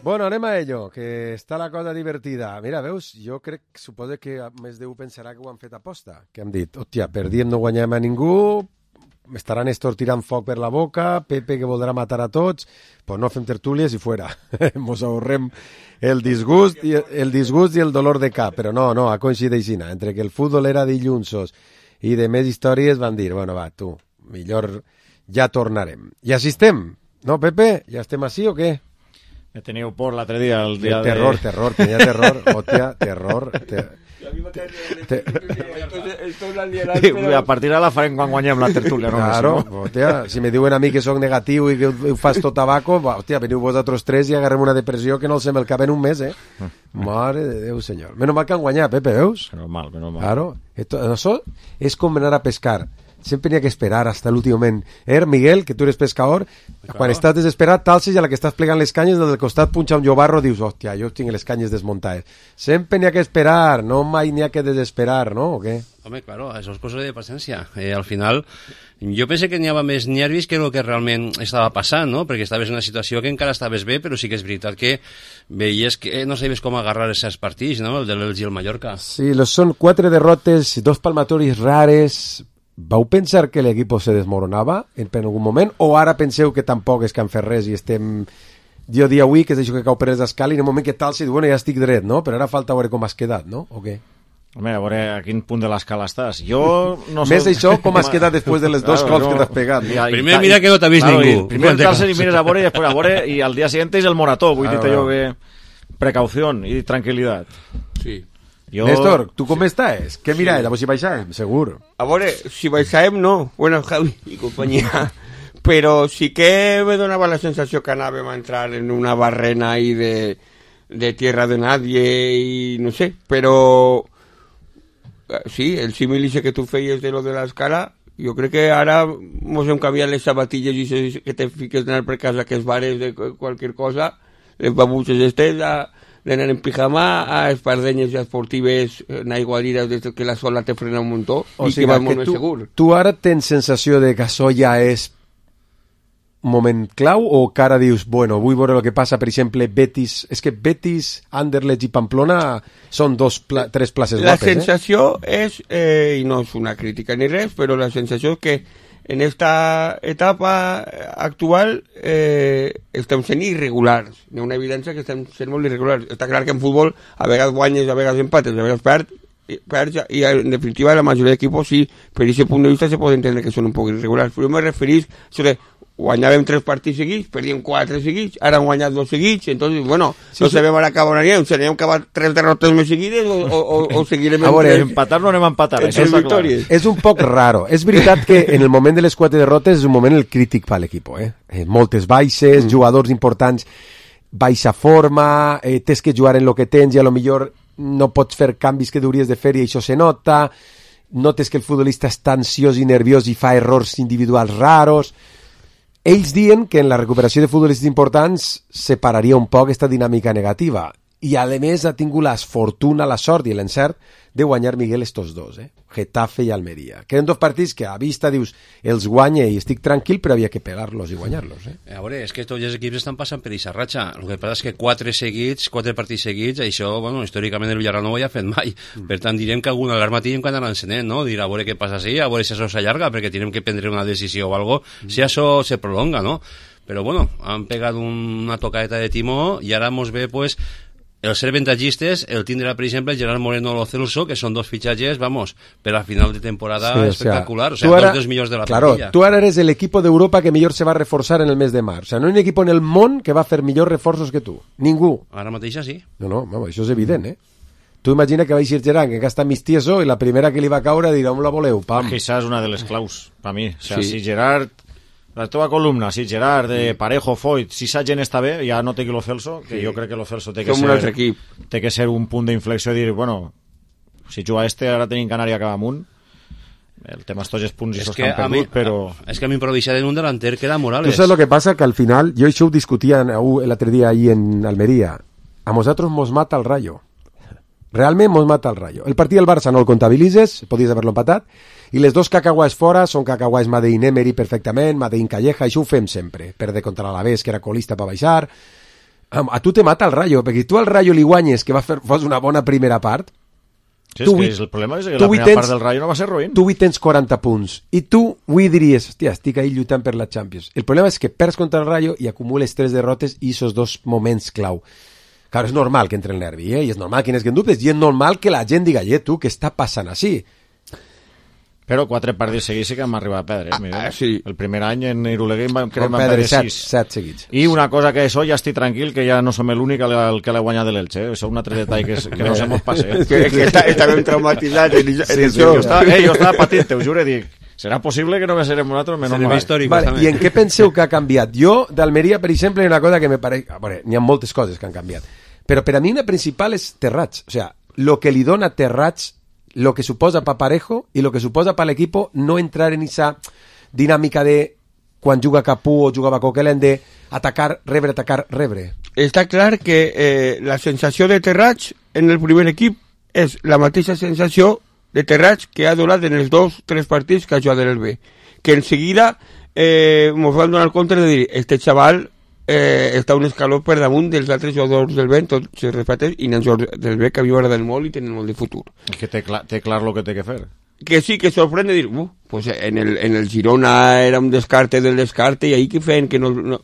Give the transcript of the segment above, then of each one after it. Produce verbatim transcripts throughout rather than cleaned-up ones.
Bueno, anem a ello, que està la cosa divertida. Mira, veus, jo crec, suposo que més d'u pensarà que ho han fet aposta, que hem dit, hòstia, perdíem no guanyem a ningú, estaran estos tirant foc per la boca, Pepe que voldrà matar a tots, pues no fem tertúlies i fuera. Mos ahorrem el disgust, i el disgust i el dolor de cap, però no, no, ha coincidit així, entre que el futbol era dillunsos i de més històries van dir, bueno, va, tu, millor ja tornarem. I així estem, no, Pepe? Ja estem així o què? Me teniu por l'altre dia, el dia de... Terror, terror, tenia terror, hòstia, terror. Te... Te... A partir d'ara la farem quan guanyem la tertúlia. No? Claro, hòstia, si me diuen a mi que soc negatiu i que ho fas tot tabaco, hòstia, veniu vosaltres tres i agarrem una depressió que no els sem el cap en un mes, eh? Mare de Déu, senyor. Menos mal que han guanyat, Pepe, veus? Menos mal, menos mal. Claro, esto, això és com anar a pescar. Sempre n'hi ha que esperar hasta l'últim moment. Eh, Miguel, que tu eres pescador, claro. Quan estàs desesperat, t'alces i a la que estàs plegant les canyes, des del costat punxa un llobarro, dius, hòstia, jo tinc les canyes desmuntades. Sempre n'hi ha que esperar, no mai n'hi ha que desesperar, no? O què? Home, claro, això és cosa de paciència. Eh, al final, jo pensé que n'hi havia més nervis que el que realment estava passant, no? Perquè estaves en una situació que encara estaves bé, però sí que és veritat que veies que no sabies com agarrar aquests partits, no? El de l'Elx i el Mallorca. Sí, són quatre derrotes, dos palmatoris rares. Vau pensar que l'equip se desmoronava en algun moment o ara penseu que tampoc és que han fet res i estem... Jo dia avui que és això que cau per les escales i en el moment que tal, si bueno, ja estic dret, no? Però ara falta veure com has quedat, no? O què? Home, a veure a quin punt de l'escala estàs. Jo no sé... Més això, com has quedat després de les dos claro, cops no... que t'has pegat. No? Primer mira que no t'ha vist claro, ningú. Primer tal-se i mires a veure i després a veure i al dia siguiente és el morató. Vull dir-te jo que... Precaució i tranquil·litat. Sí. Jo... Néstor, tu com estàs? Què mira, sí. Si baixàvem, segur. A veure, si baixàvem no, bueno, Javi i companyia, però sí que me donava la sensació que anàvem a entrar en una barrena ahí de, de tierra de nadie i no sé, però sí, el símil que tu feies de lo de l'escala, jo crec que ara mos hem canviat les sabatilles i que te fiques d'anar per casa que es bares de qualsevol cosa, les babutxes estes a d'anar en pijama a espardenyes esportives en aigualides des que la sola te frena un muntó o i sigui, que vas molt més segur. Tu ara tens sensació de que això ja és moment clau o que ara dius, bueno, vull veure el que passa, per exemple, Betis, és que Betis, Anderlecht i Pamplona són dos pla tres places la guapes, sensació eh? és, eh, i no és una crítica ni res, però la sensació és que en esta etapa actual eh, estem sent irregulars. Hi ha una evidència que estem sent molt irregulars. Està clar que en futbol a vegades guanyes, a vegades empates, a vegades perds, perds i en definitiva la majoria d'equipos sí, per aquest punt de vista se pot entendre que són un poc irregulars. Però jo me referís sobre guanyàvem tres partits seguits, perdíem quatre seguits, ara han guanyat dos seguits, entonces, bueno, sí, no sí. sabem ara acabar anirem, si anem a acabar tres derrotes més seguides o, o, o seguirem a veure, empatar no anem a empatar, això és clar. És un poc raro, és veritat que en el moment de les quatre derrotes és un moment el crític per l'equip, eh? eh? Moltes baixes, mm. jugadors importants, baixa forma, eh, tens que jugar en lo que tens i a lo millor no pots fer canvis que hauries de fer i això se nota, notes que el futbolista està ansiós i nerviós i fa errors individuals raros. Ells diuen que en la recuperació de futbolistes importants separaria un poc aquesta dinàmica negativa i a més ha tingut la fortuna, la sort i l'encert de guanyar Miguel estos dos, eh? Getafe i Almeria. Queden dos partits que a vista dius els guanya i estic tranquil, però havia que pegar-los i guanyar-los. Eh? A veure, és que tots els equips estan passant per aquesta ratxa. El que passa és que quatre seguits, quatre partits seguits, això, bueno, històricament el Villarreal no ho havia fet mai. Mm. Per tant, direm que alguna alarma tenim que anar encenent, no? Dir a veure què passa així, a veure si això s'allarga, perquè tenim que prendre una decisió o algo, mm. si això se prolonga, no? Però, bueno, han pegat una tocadeta de timó i ara mos ve, pues, el ser avantatgistes, el tindrà, per exemple, Gerard Moreno o Lo Celso, que són dos fitxatges, vamos, per a final de temporada sí, espectacular. O sea, o sea ara, dos dels millors de la claro, plantilla. Tu ara eres el equipo de Europa que millor se va a reforçar en el mes de març. O sea, no hi ha un equip en el món que va fer millors reforços que tu. Ningú. Ara mateix sí. No, no, vamos, això és evident, eh? Tu imagina que va eixir Gerard, que està mig tieso, i la primera que li va caure dirà, on la voleu? Pam. Això és una de les claus, per mi. O sea, sí. Si Gerard... La teva columna, si Gerard, eh, Parejo, Foyt, si sa gent està bé, ja no té que Lo Celso, que sí. Jo crec que Lo Celso té que, ser, un altre equip. té que ser un punt d'inflexió i dir, bueno, si juga este, ara tenim Canària cap amunt. El tema estos punts i sos que han perdut, mi, però... És que a mi improvisar en un delanter que era Morales. Tu saps lo que passa? Que al final, jo això ho discutia l'altre dia ahí en Almeria, a nosaltres mos mata el Rayo. Realment mos mata el Rayo. El partit del Barça no el comptabilitzes, podies haver-lo empatat, i les dos cacahuais fora són cacahuais Madein Emery perfectament, Madein Calleja, això ho fem sempre. Perdre contra l'Alavés, que era colista per baixar. A tu te mata el Rayo, perquè tu al Rayo li guanyes que va fer, fos una bona primera part. Sí, és que és, el problema és que la primera tens, part del Rayo no va ser roïn. Tu avui tens quaranta punts i tu avui diries, hòstia, estic ahí lluitant per la Champions. El problema és que perds contra el Rayo i acumules tres derrotes i esos dos moments clau. Claro, és normal que entre el nervi, eh? I és normal que n'és que en dubtes, i és normal que la gent diga, eh, tu, què està passant així? Però quatre partits seguits sí que hem arribat a perdre. Eh? Ah, sí. El primer any en Iruleguer vam, crec, vam perdre perdre sis. set seguits. I una cosa que això ja estic tranquil, que ja no som l'únic que l'ha guanyat de l'Elche. Eh? Això és un altre detall que, que no se mos passa. Eh? que, que està, està ben traumatitzat en, en sí, sí, això. Jo estava, eh, jo estava patint, te ho juro, dic, serà possible que no me serem nosaltres? Menys mal. Històric, vale, I en què penseu que ha canviat? Jo, d'Almeria, per exemple, hi ha una cosa que me pareix... Bueno, n'hi ha moltes coses que han canviat. Però per a mi una principal és Terrats. O sea, lo que li dona Terrats, lo que suposa pa Parejo i lo que suposa pa l'equipo no entrar en esa dinàmica de quan juga Capú o jugava Coquelin de atacar, rebre, atacar, rebre. Està clar que eh, la sensació de Terrats en el primer equip és la mateixa sensació de Terrats que ha donat en els dos tres partits que ha jugat en el B. Que en seguida eh, ens van donar compte de dir, este xaval eh, està un escaló per damunt dels altres jugadors del B, tot se repeteix, i els jugadors del B que a mi m'agraden molt i tenen molt de futur. És que té clar, té clar el que té que fer. Que sí, que sorprèn de dir, uh, pues en el, en el Girona era un descarte del descarte, i ahí que feien que no... no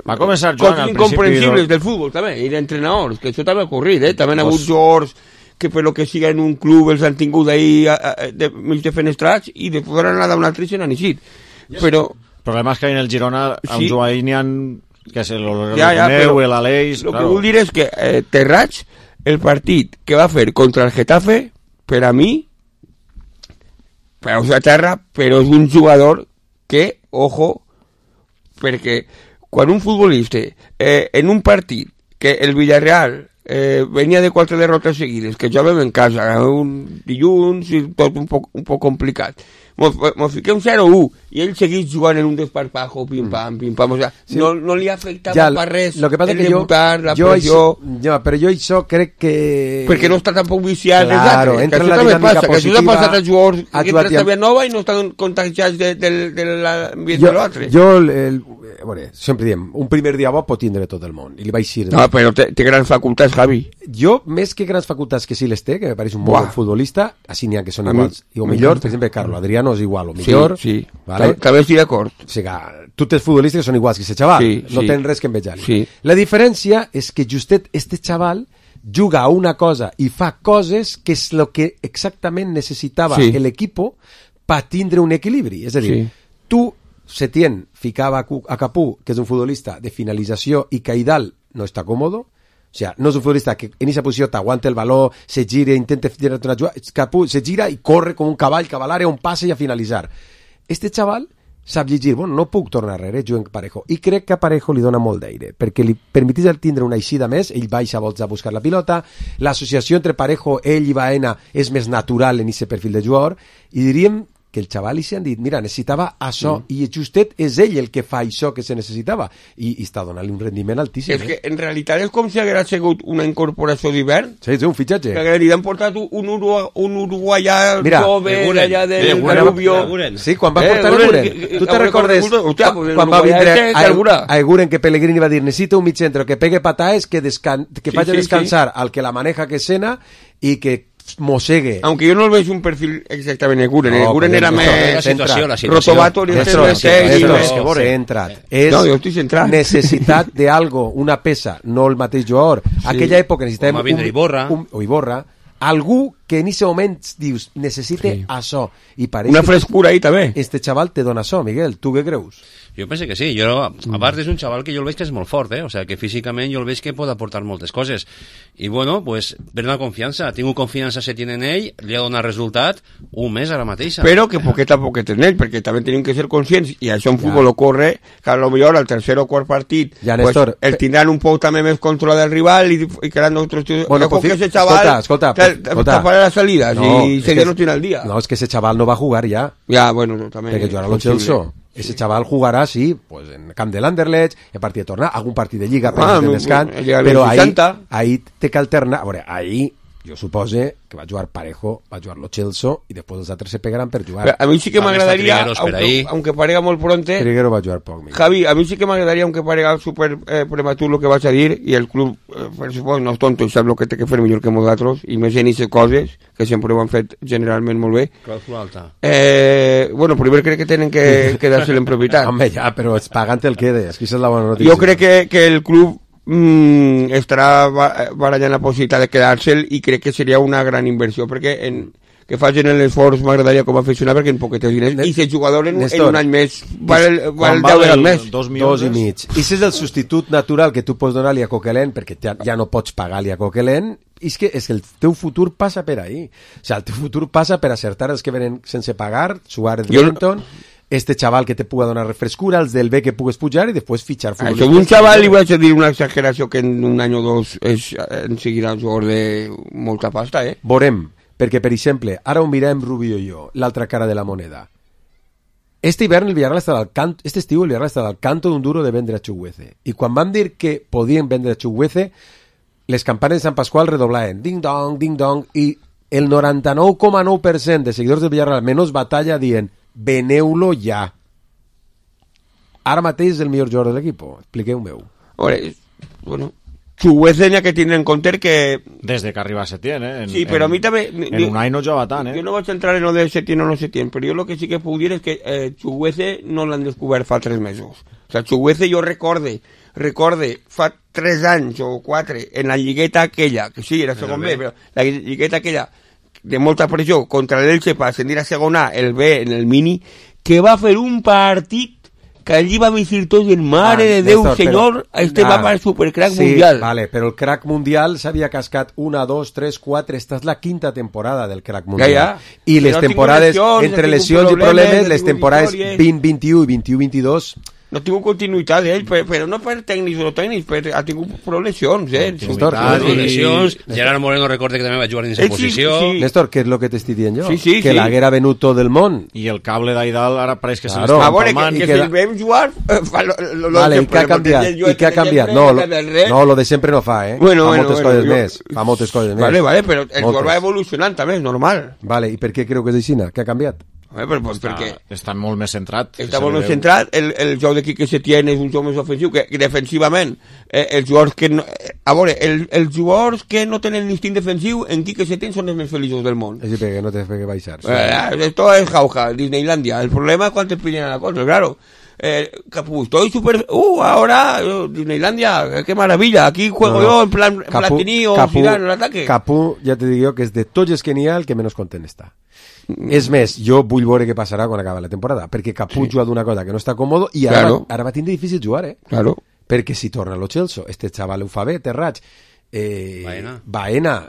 va començar Joan al principi... incomprensibles del futbol, també, i d'entrenadors, que això també ha ocorrit, eh? També han hagut jugadors que per lo que siga en un club els han tingut ahí de, mig defenestrats i de poder anar a un altre i se n'han eixit. Però... El problema és que en el Girona, sí. amb Joan n'hi ha... que és el ja, ja, Neu, l'Aleix... El claro. que vull dir és que eh, Terrats, el partit que va fer contra el Getafe, per a mi, peus a terra, però és un jugador que, ojo, perquè quan un futbolista eh, en un partit que el Villarreal eh, venia de quatre derrotes seguides, que jugàvem en casa, un dilluns i tot un poc, un poc complicat, mos, mos fiquem zero a u i ell seguís jugant en un desparpajo, pim-pam, pim-pam, o sea, sí. no, no li afectava ja, per res lo que passa el que debutar, jo, la jo pressió... Això, ja, però jo això crec que... Perquè no està tampoc viciat claro, els altres, entra que en la això també dinàmica passa, positiva, que això s'ha passat als jugadors que entren ja... a nova i no estan contagiats de, de, de l'ambient de l'altre. Jo, el, el, bueno, sempre diem, un primer dia bo pot tindre tot el món, i li vaig dir... No, però té, té grans facultats, Javi. Jo, més que grans facultats que sí les té, que me pareix un bon futbolista, així n'hi ha que són iguals, i o millor, per exemple, Carlo Adriano és igual, o millor... Sí, sí. Vale? També estic d'acord. O sigui, tots els futbolistes són iguals que aquest xaval, sí, no sí. tenen res que envejar-li. Sí. La diferència és que justet este xaval juga a una cosa i fa coses que és el que exactament necessitava sí. l'equipo per tindre un equilibri. És a dir, sí. tu, Setién, ficava a Capú, que és un futbolista de finalització, i Caidal no està còmodo. O sea, no és un futbolista que en aquesta posició t'aguanta el valor, se gira, intenta tirar una jugada, Capú se gira i corre com un cavall, cavalare, un passe i a finalitzar. Este xaval sap llegir, bueno, no puc tornar darrere, jugo en Parejo, i crec que a Parejo li dona molt d'aire, perquè li permetís el tindre una eixida més, ell baixa volts a buscar la pilota, l'associació entre Parejo, ell i Baena és més natural en aquest perfil de jugador, i diríem que el xaval li s'han dit, mira, necessitava això, mm. i justet és ell el que fa això que se necessitava, i, i està donant-li un rendiment altíssim. És eh? que en realitat és com si hagués sigut una incorporació d'hivern. Sí, sí, un fitxatge. Que li han portat un, Urugu un uruguaià mira, jove allà del eh, Danubio. Sí, quan va eh, portar Eguren. Tu te recordes hòstia, quan va vindre a, a Eguren que Pellegrini va dir, necessita un mig centre que pegue pataes, que, descan que sí, faci sí, descansar sí. al que la maneja que sena i que mosegue. Aunque yo no lo veo un perfil exactamente Eguren. No, Eguren era més... La situació, la situació. Rotovato, ni este no és centrat. És no, jo estic centrat. necessitat de algo, una peça, no el mateix jugador. Sí. Aquella època necessitàvem... Com a vindre Iborra. Un, o Iborra. Algú que en aquest moment dius, necessite sí. això. I una frescura ahí també. Este xaval te dona això, Miguel. Tu què creus? Jo penso que sí, jo, a part és un xaval que jo el veig que és molt fort, eh? O sea, que físicament jo el veig que pot aportar moltes coses. I bueno, pues, per una confiança, tinc confiança se tiene en ell, li ha donat resultat un mes ara mateixa. Però que poquet a poquet en ell, perquè també tenim que ser conscients, i això en futbol ja. ocorre, que a lo millor al tercer o quart partit ja, pues, Néstor, el tindran un poc també més controlat del rival i, i quedaran otros... Bueno, pues, que ese chaval escolta, escolta, escolta. taparà las salidas no, y se no tiene al día. No, es que ese chaval no va a jugar ya. Ya, bueno, no, també. Perquè jugarà el Chelsea. Ese chaval jugarà, sí, pues en camp de l'Anderlecht, en partit de tornar, algun partit de Lliga, ah, de descans, però ahí, ahí té que alternar. A veure, ahí jo supose que va jugar Parejo, va jugar Lo Celso i després els altres se pegaran per jugar. Pero a mí sí que me También está agradaría, Trigueros por ahí. aunque, aunque parezca muy pronto, Triguero va jugar poc. Miguel. Javi, a mí sí que me agradaría, aunque parezca súper eh, prematuro lo que vas a decir, y el club, eh, per suposo, no és tonto i sap el que té que fer millor que nosaltres, i més en aquestes coses, que sempre ho han fet generalment molt bé. Clàusula alta. Eh, bueno, primer crec que tenen que quedar-se en propietat. Home, ja, però es pagant el quede, és que aquesta és la bona notícia. Jo crec que, que el club mm, estarà barallant la possibilitat de quedar-se'l i crec que seria una gran inversió, perquè en, que facin l'esforç m'agradaria com a aficionat perquè en poquetes diners, i si el jugador en, Néstor, en un any més val, val Quan deu val vegades el més. dos Dos milions i mig. I si és el substitut natural que tu pots donar-li a Coquelin, perquè ja, ja no pots pagar-li a Coquelin, és que, és que el teu futur passa per ahí. O sigui, el teu futur passa per acertar els que venen sense pagar, Suárez, Wellington, este chaval que te puga donar refrescura, els del B que pugues pujar i després fitxar futbolistes. Això d'un xaval li vaig a dir una exageració que en un any o dos és, en seguirà un jugador de molta pasta, eh? Veurem, perquè, per exemple, ara ho mirem Rubio i jo, l'altra cara de la moneda. Este hivern el Villarreal estava al canto, este estiu el Villarreal estava al canto d'un duro de vendre a Chuguece. I quan vam dir que podien vendre a Chuguece, les campanes de Sant Pasqual redoblaven ding-dong, ding-dong, i el noranta-nou coma nou per cent de seguidors del Villarreal, menys batalla, dient veneu-lo ja. Ara mateix és el millor jugador de l'equip. Expliqueu-m'ho. Veure, bueno, Chuguece n'hi ha que tindre en compte que... Des de que arriba Setién, eh? En, sí, però a mi també... En un any no jugava tant, eh? Jo no vaig entrar en lo de Setién o no Setién, però jo el que sí que puc dir és que eh, Chuguece no l'han descobert fa tres mesos. O sea, Chuguece jo recorde, recorde fa tres anys o quatre, en la lligueta aquella, que sí, era segon B, però la lligueta aquella de molta pressió contra l'Elche per ascendir a segona, el B en el mini, que va fer un partit que allí va decir tots en mare ah, de Déu, Néstor, senyor, però, este ah, va per supercrack sí, mundial. Vale, però el crack mundial s'havia cascat una, dos, tres, quatre, esta és la quinta temporada del crack mundial. Ja, ja. I les no temporades, lesions, entre no lesions i problemes, les temporades victòries. vint vint-i-u i vint-i-u vint-i-dos... No ha tingut continuïtat ell, però, però no per tècnics o tècnics, però ha tingut prou lesions, eh? Néstor, i... lesions. Gerard Moreno recorde que també va jugar en aquesta posició. Sí, sí. Néstor, què és el que t'estic dient jo? Sí, sí, que sí. l'haguera venut tot el món. I el cable d'Aidal ara pareix que claro. se l'està a veure, empalmant. que, que, que que da... si vam jugar... Eh, fa lo, lo, lo vale, i sempre, què ha canviat? I què ha canviat? No, lo, no, lo de sempre no fa, eh? Bueno, fa bueno, moltes bueno, coses jo... més. Fa moltes coses més. Vale, vale, però el moltes. gol va evolucionant també, és normal. Vale, i per què creu que és així? Què ha canviat? Eh, però, pues, Està, perquè està molt més centrat. està molt més centrat, el, el joc de Quique Setién és un joc més ofensiu, que, que defensivament, eh, els jugadors que no, eh, a veure, el, els jugadors que no tenen l'instint defensiu en Quique Setién són els més feliços del món. És perquè no te fe que baixar. Sí. Eh, esto es jauja, Disneylandia. El problema es cuando te pillan a la cosa, claro. Eh, Capú, estoy súper... Uh, ahora, uh, Disneylandia, qué maravilla. Aquí juego no, no. yo en plan Capú, Platini o Capú, Zidane en el ataque. Capú, ja te dic jo, que és de tots els que n'hi ha el que menys content està. Mm. És més, jo vull veure què passarà quan acaba la temporada, perquè Capú sí. juga d'una cosa que no està còmodo i ara, claro. va, ara va tindre difícil jugar, eh? Claro. Perquè si torna Lo Celso, este xaval ho fa bé, Terrats, eh, Baena. Baena.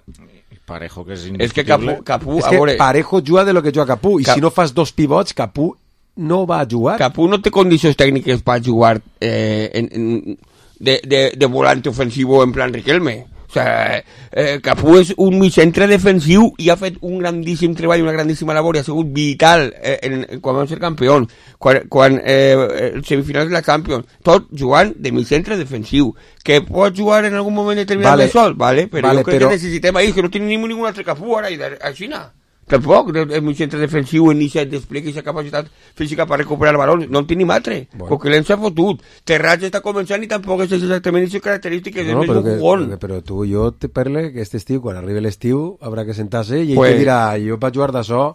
Parejo, que és indiscutible. És que Capú, Capú és que veure... Parejo juga de lo que juga Capú, i Cap... si no fas dos pivots, Capú no va a jugar. Capú no té condicions tècniques per jugar eh, en, en, de, de, de volante ofensivo en plan Riquelme. O sea, eh, Capú és un mitjantre defensiu i ha fet un grandíssim treball, una grandíssima labor i ha sigut vital eh, en, en, quan vam ser campió, quan, quan eh, el semifinals de la Champions, tot jugant de mitjantre defensiu, que pot jugar en algun moment determinat vale. de sol, vale? però vale, jo crec però... que necessitem ahir, que no tenim ningú, ningú altre Capú ara a Xina. Tampoc, el mig centre defensiu en aquest despliegue i aquesta capacitat física per recuperar el balón, no en tenim altre. Bueno. Coquelin s'ha fotut. Terrats està començant i tampoc és exactament aquestes característiques, no, és més un jugón. Però tu i jo te parle que aquest estiu, quan arribi l'estiu, haurà que sentar-se i ell pues... te dirà, jo vaig jugar d'això,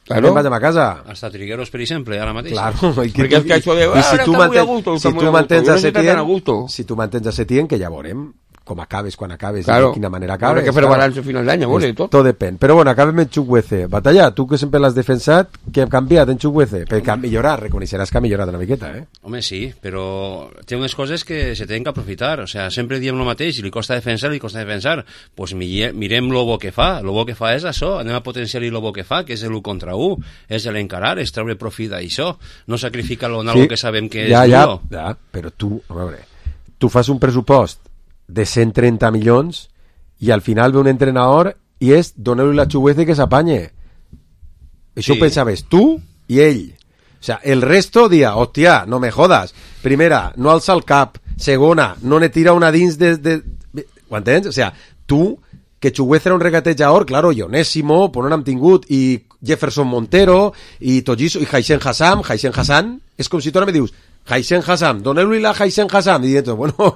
claro. Me'n vaig a casa. Hasta Trigueros, per exemple, ara mateix. Claro, i que, perquè és que això de... I si tu mantens, si tu mantens a Setién, si tu mantens a Setién, que ja veurem com acabes, quan acabes, claro. i de quina manera acabes. Habrá que fer claro. Balance a final d'any, vale, tot. Tot depèn. Però bueno, acabem en Chukwueze. Batalla, tu que sempre l'has defensat, què ha canviat en Chukwueze? Perquè ha millorat, reconeixeràs que ha millorat una miqueta, eh? Home, sí, però té unes coses que se tenen que aprofitar. O sea, sempre diem el mateix, i li costa defensar, li costa defensar. Pues mirem lo bo que fa. Lo bo que fa és això, anem a potenciar-li lo bo que fa, que és l'u contra u, és l'encarar, és treure profit d'això. No sacrificar-lo en sí. algo que sabem que ja, és ja, duro. Ja, però tu, a veure, tu fas un pressupost de cent trenta milions i al final ve un entrenador i és donar-li la Chuguece que s'apanye. Això sí. Ho pensaves tu i ell. O sea, el resto dia, hòstia, no me jodas. Primera, no alça el cap. Segona, no ne tira una dins de... de... Ho entens? O sea, tu que Chugueza era un regatejador, claro, i Onésimo, per on hem tingut, i Jefferson Montero, i Togiso, i Haisen Hassam, Haisen Hassan, és com si tu ara me dius, Haisen Hassam, doneu-li la Haisen Hassam, i dient, bueno,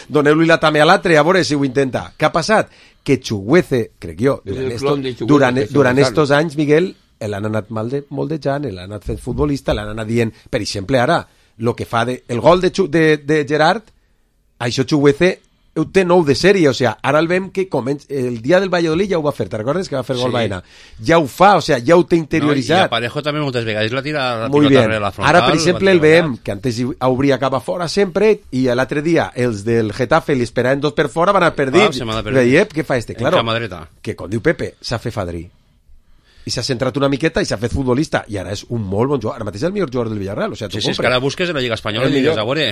doneu-li la també a l'altre, a veure si ho intenta. Què ha passat? Que Chugueza, crec jo, durant, estos, durant, durant estos anys, Miguel, l'han anat mal de, moldejant, l'han anat fent futbolista, l'han anat dient, per exemple, ara, el que fa de, el gol de, de, de Gerard, això Chugueza ho té nou de sèrie, o sigui, ara el veiem que comença, el dia del Valladolid ja ho va fer, te'n recordes que va fer gol sí. Baena? Ja ho fa, o sigui, ja ho té interioritzat. No, i Parejo també moltes vegades la tira la Muy pilota bien. La frontal. Ara, per exemple, el veiem que antes obria cap a fora sempre i l'altre dia els del Getafe li esperaven dos per fora, van anar perdits. Ah, Veiep, què fa este? Claro, dreta. que com diu Pepe, s'ha fet fadrí. I s'ha centrat una miqueta i s'ha fet futbolista i ara és un molt bon jugador, ara mateix és el millor jugador del Villarreal, o sigui, sí, sí, és que ara busques en la Lliga Espanyola i digues, a veure,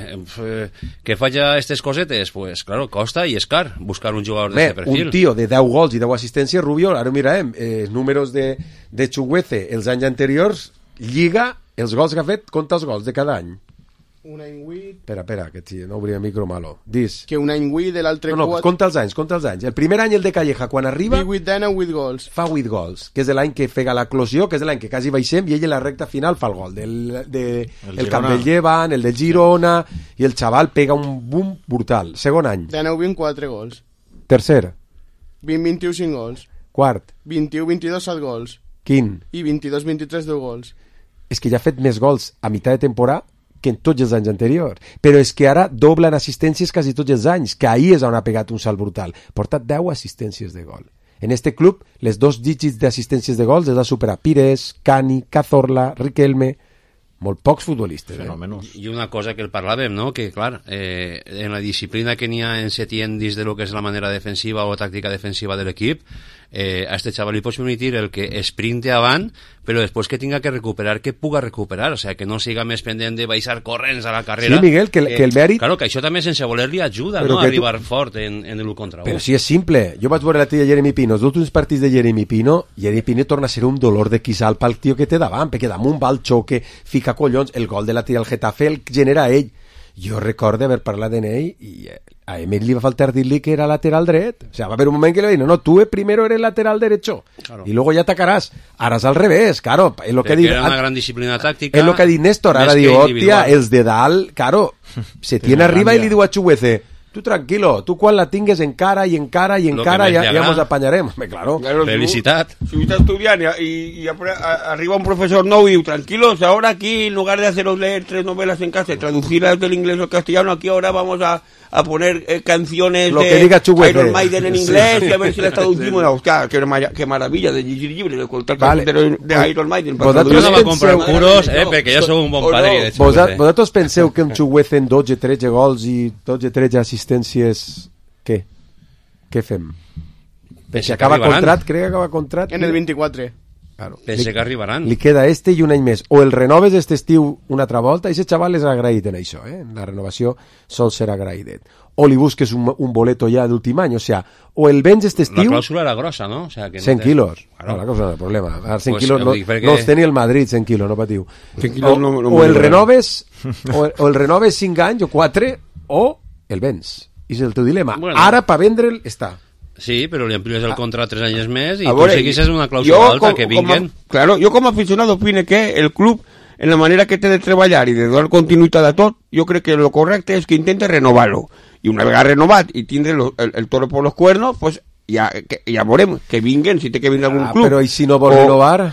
eh, que falla aquestes cosetes, pues claro, costa i és car buscar un jugador d'aquest perfil. Un tio de deu gols i deu assistències, Rubio, ara ho mirarem, eh, números de, de Chugueza els anys anteriors, Lliga, els gols que ha fet, compta els gols de cada any. Un any vuit... Espera, espera, que sí, no obria micro malo. Dis. Que un any vuit, de l'altre no, no, quatre... compta els anys, compta els anys. El primer any, el de Calleja, quan arriba... divuit d'any, vuit gols. Fa vuit gols, que és l'any que fega l'eclosió, que és l'any que quasi baixem, i ell en la recta final fa el gol. Del, de, el, el camp del Llevan, el de Girona, i el xaval pega un boom brutal. Segon any. De nou vint, quatre gols. Tercer. vint, vint-i-u, cinc gols. Quart. vint-i-u, vint-i-dos, set gols. Quin. I vint-i-dos, vint-i-tres, deu gols. És que ja ha fet més gols a meitat de temporada que en tots els anys anteriors. Però és que ara dobla en assistències quasi tots els anys, que ahir és on ha pegat un salt brutal. Porta deu assistències de gol. En este club, les dos dígits d'assistències de gols els ha superat Pires, Cani, Cazorla, Riquelme, molt pocs futbolistes. Fenòmenos. Eh? I una cosa que el parlàvem, no? Que, clar, eh, en la disciplina que n'hi ha en Setién dins de lo que és la manera defensiva o tàctica defensiva de l'equip, eh, a este chaval li pots permitir el que sprinte avant, però després que tinga que recuperar, que puga recuperar, o sea, que no siga més pendent de baixar corrents a la carrera. Sí, Miguel, que, eh, que el mèrit... Claro, que això també sense voler-li ajuda, no?, a arribar tu... fort en, en l'u contra u. Però si és simple. Jo vaig veure la tia Jeremy Pino, els últims partits de Jeremy Pino, Jeremy Pino torna a ser un dolor de quissal pel tio que té davant, perquè damunt va el xoque, fica collons, el gol de la tia del Getafe el genera ell. Jo recordo haver parlat d'en ell i a Emil li va faltar dir-li que era lateral dret. O sea, va haver un moment que le dijo, no, tú primero eres lateral derecho, claro, y luego ya atacarás. Ara és al revés, claro. Es lo que diu, era una gran disciplina tàctica. És lo que ha dit Néstor, ara diu, hòstia, els de dalt, claro, se tiene arriba i li diu a Chugueza, tu tranquilo, tu quan la tingues encara i encara i encara ja, ja ens apanyarem. Claro. Claro, felicitat. Si tú estás estudiando y, y, y arriba un profesor no y tranquilos, ahora aquí en lugar de haceros leer tres novelas en casa y traducirlas del inglés al castellano, aquí ahora vamos a, a poner eh, canciones lo de que diga Iron Maiden en inglés, sí, y a ver si las traducimos. Hostia, qué, qué maravilla de Gigi Libre de contar vale. de, de Iron Maiden. Vosaltres no va comprar curos, eh, perquè jo sou un bon padre. No. Vosaltres, vosaltres penseu que un Chugueza en dotze tretze gols i dotze tretze assistències, què? Què fem? Pense que acaba contrat, crec que acaba contrat. En el vint-i-quatre. Claro. Pense li, que arribaran. Li queda este i un any més. O el renoves este estiu una altra volta, i aquest xaval és agraït en això, eh? La renovació sol ser agraïdet. O li busques un, un boleto ja d'últim any, o sea, o el vens este estiu... La clàusula era grossa, no? O sea, que no cent te... quilos. Claro. No, la cosa no és el problema. Ara cent pues, quilos no, perquè... no els tenia el Madrid, cent quilos, no patiu. O, no, no o el renoves, o, o el renoves cinc anys o quatre, o el vens. I és el teu dilema. Bueno, ara, per vendre'l, està. Sí, però li amplies el contrat tres anys més i tu segueixes una clàusula alta com, que vinguen. Com a, claro, jo com a aficionado opine que el club, en la manera que té de treballar i de donar continuïtat a tot, jo crec que lo correcte és que intente renovar-lo. I una vegada renovat i tindre lo, el, el toro por los cuernos, pues ja, que, ja veurem, que vinguen, si té que vindre algun ah, club. Però i si no vol o... renovar?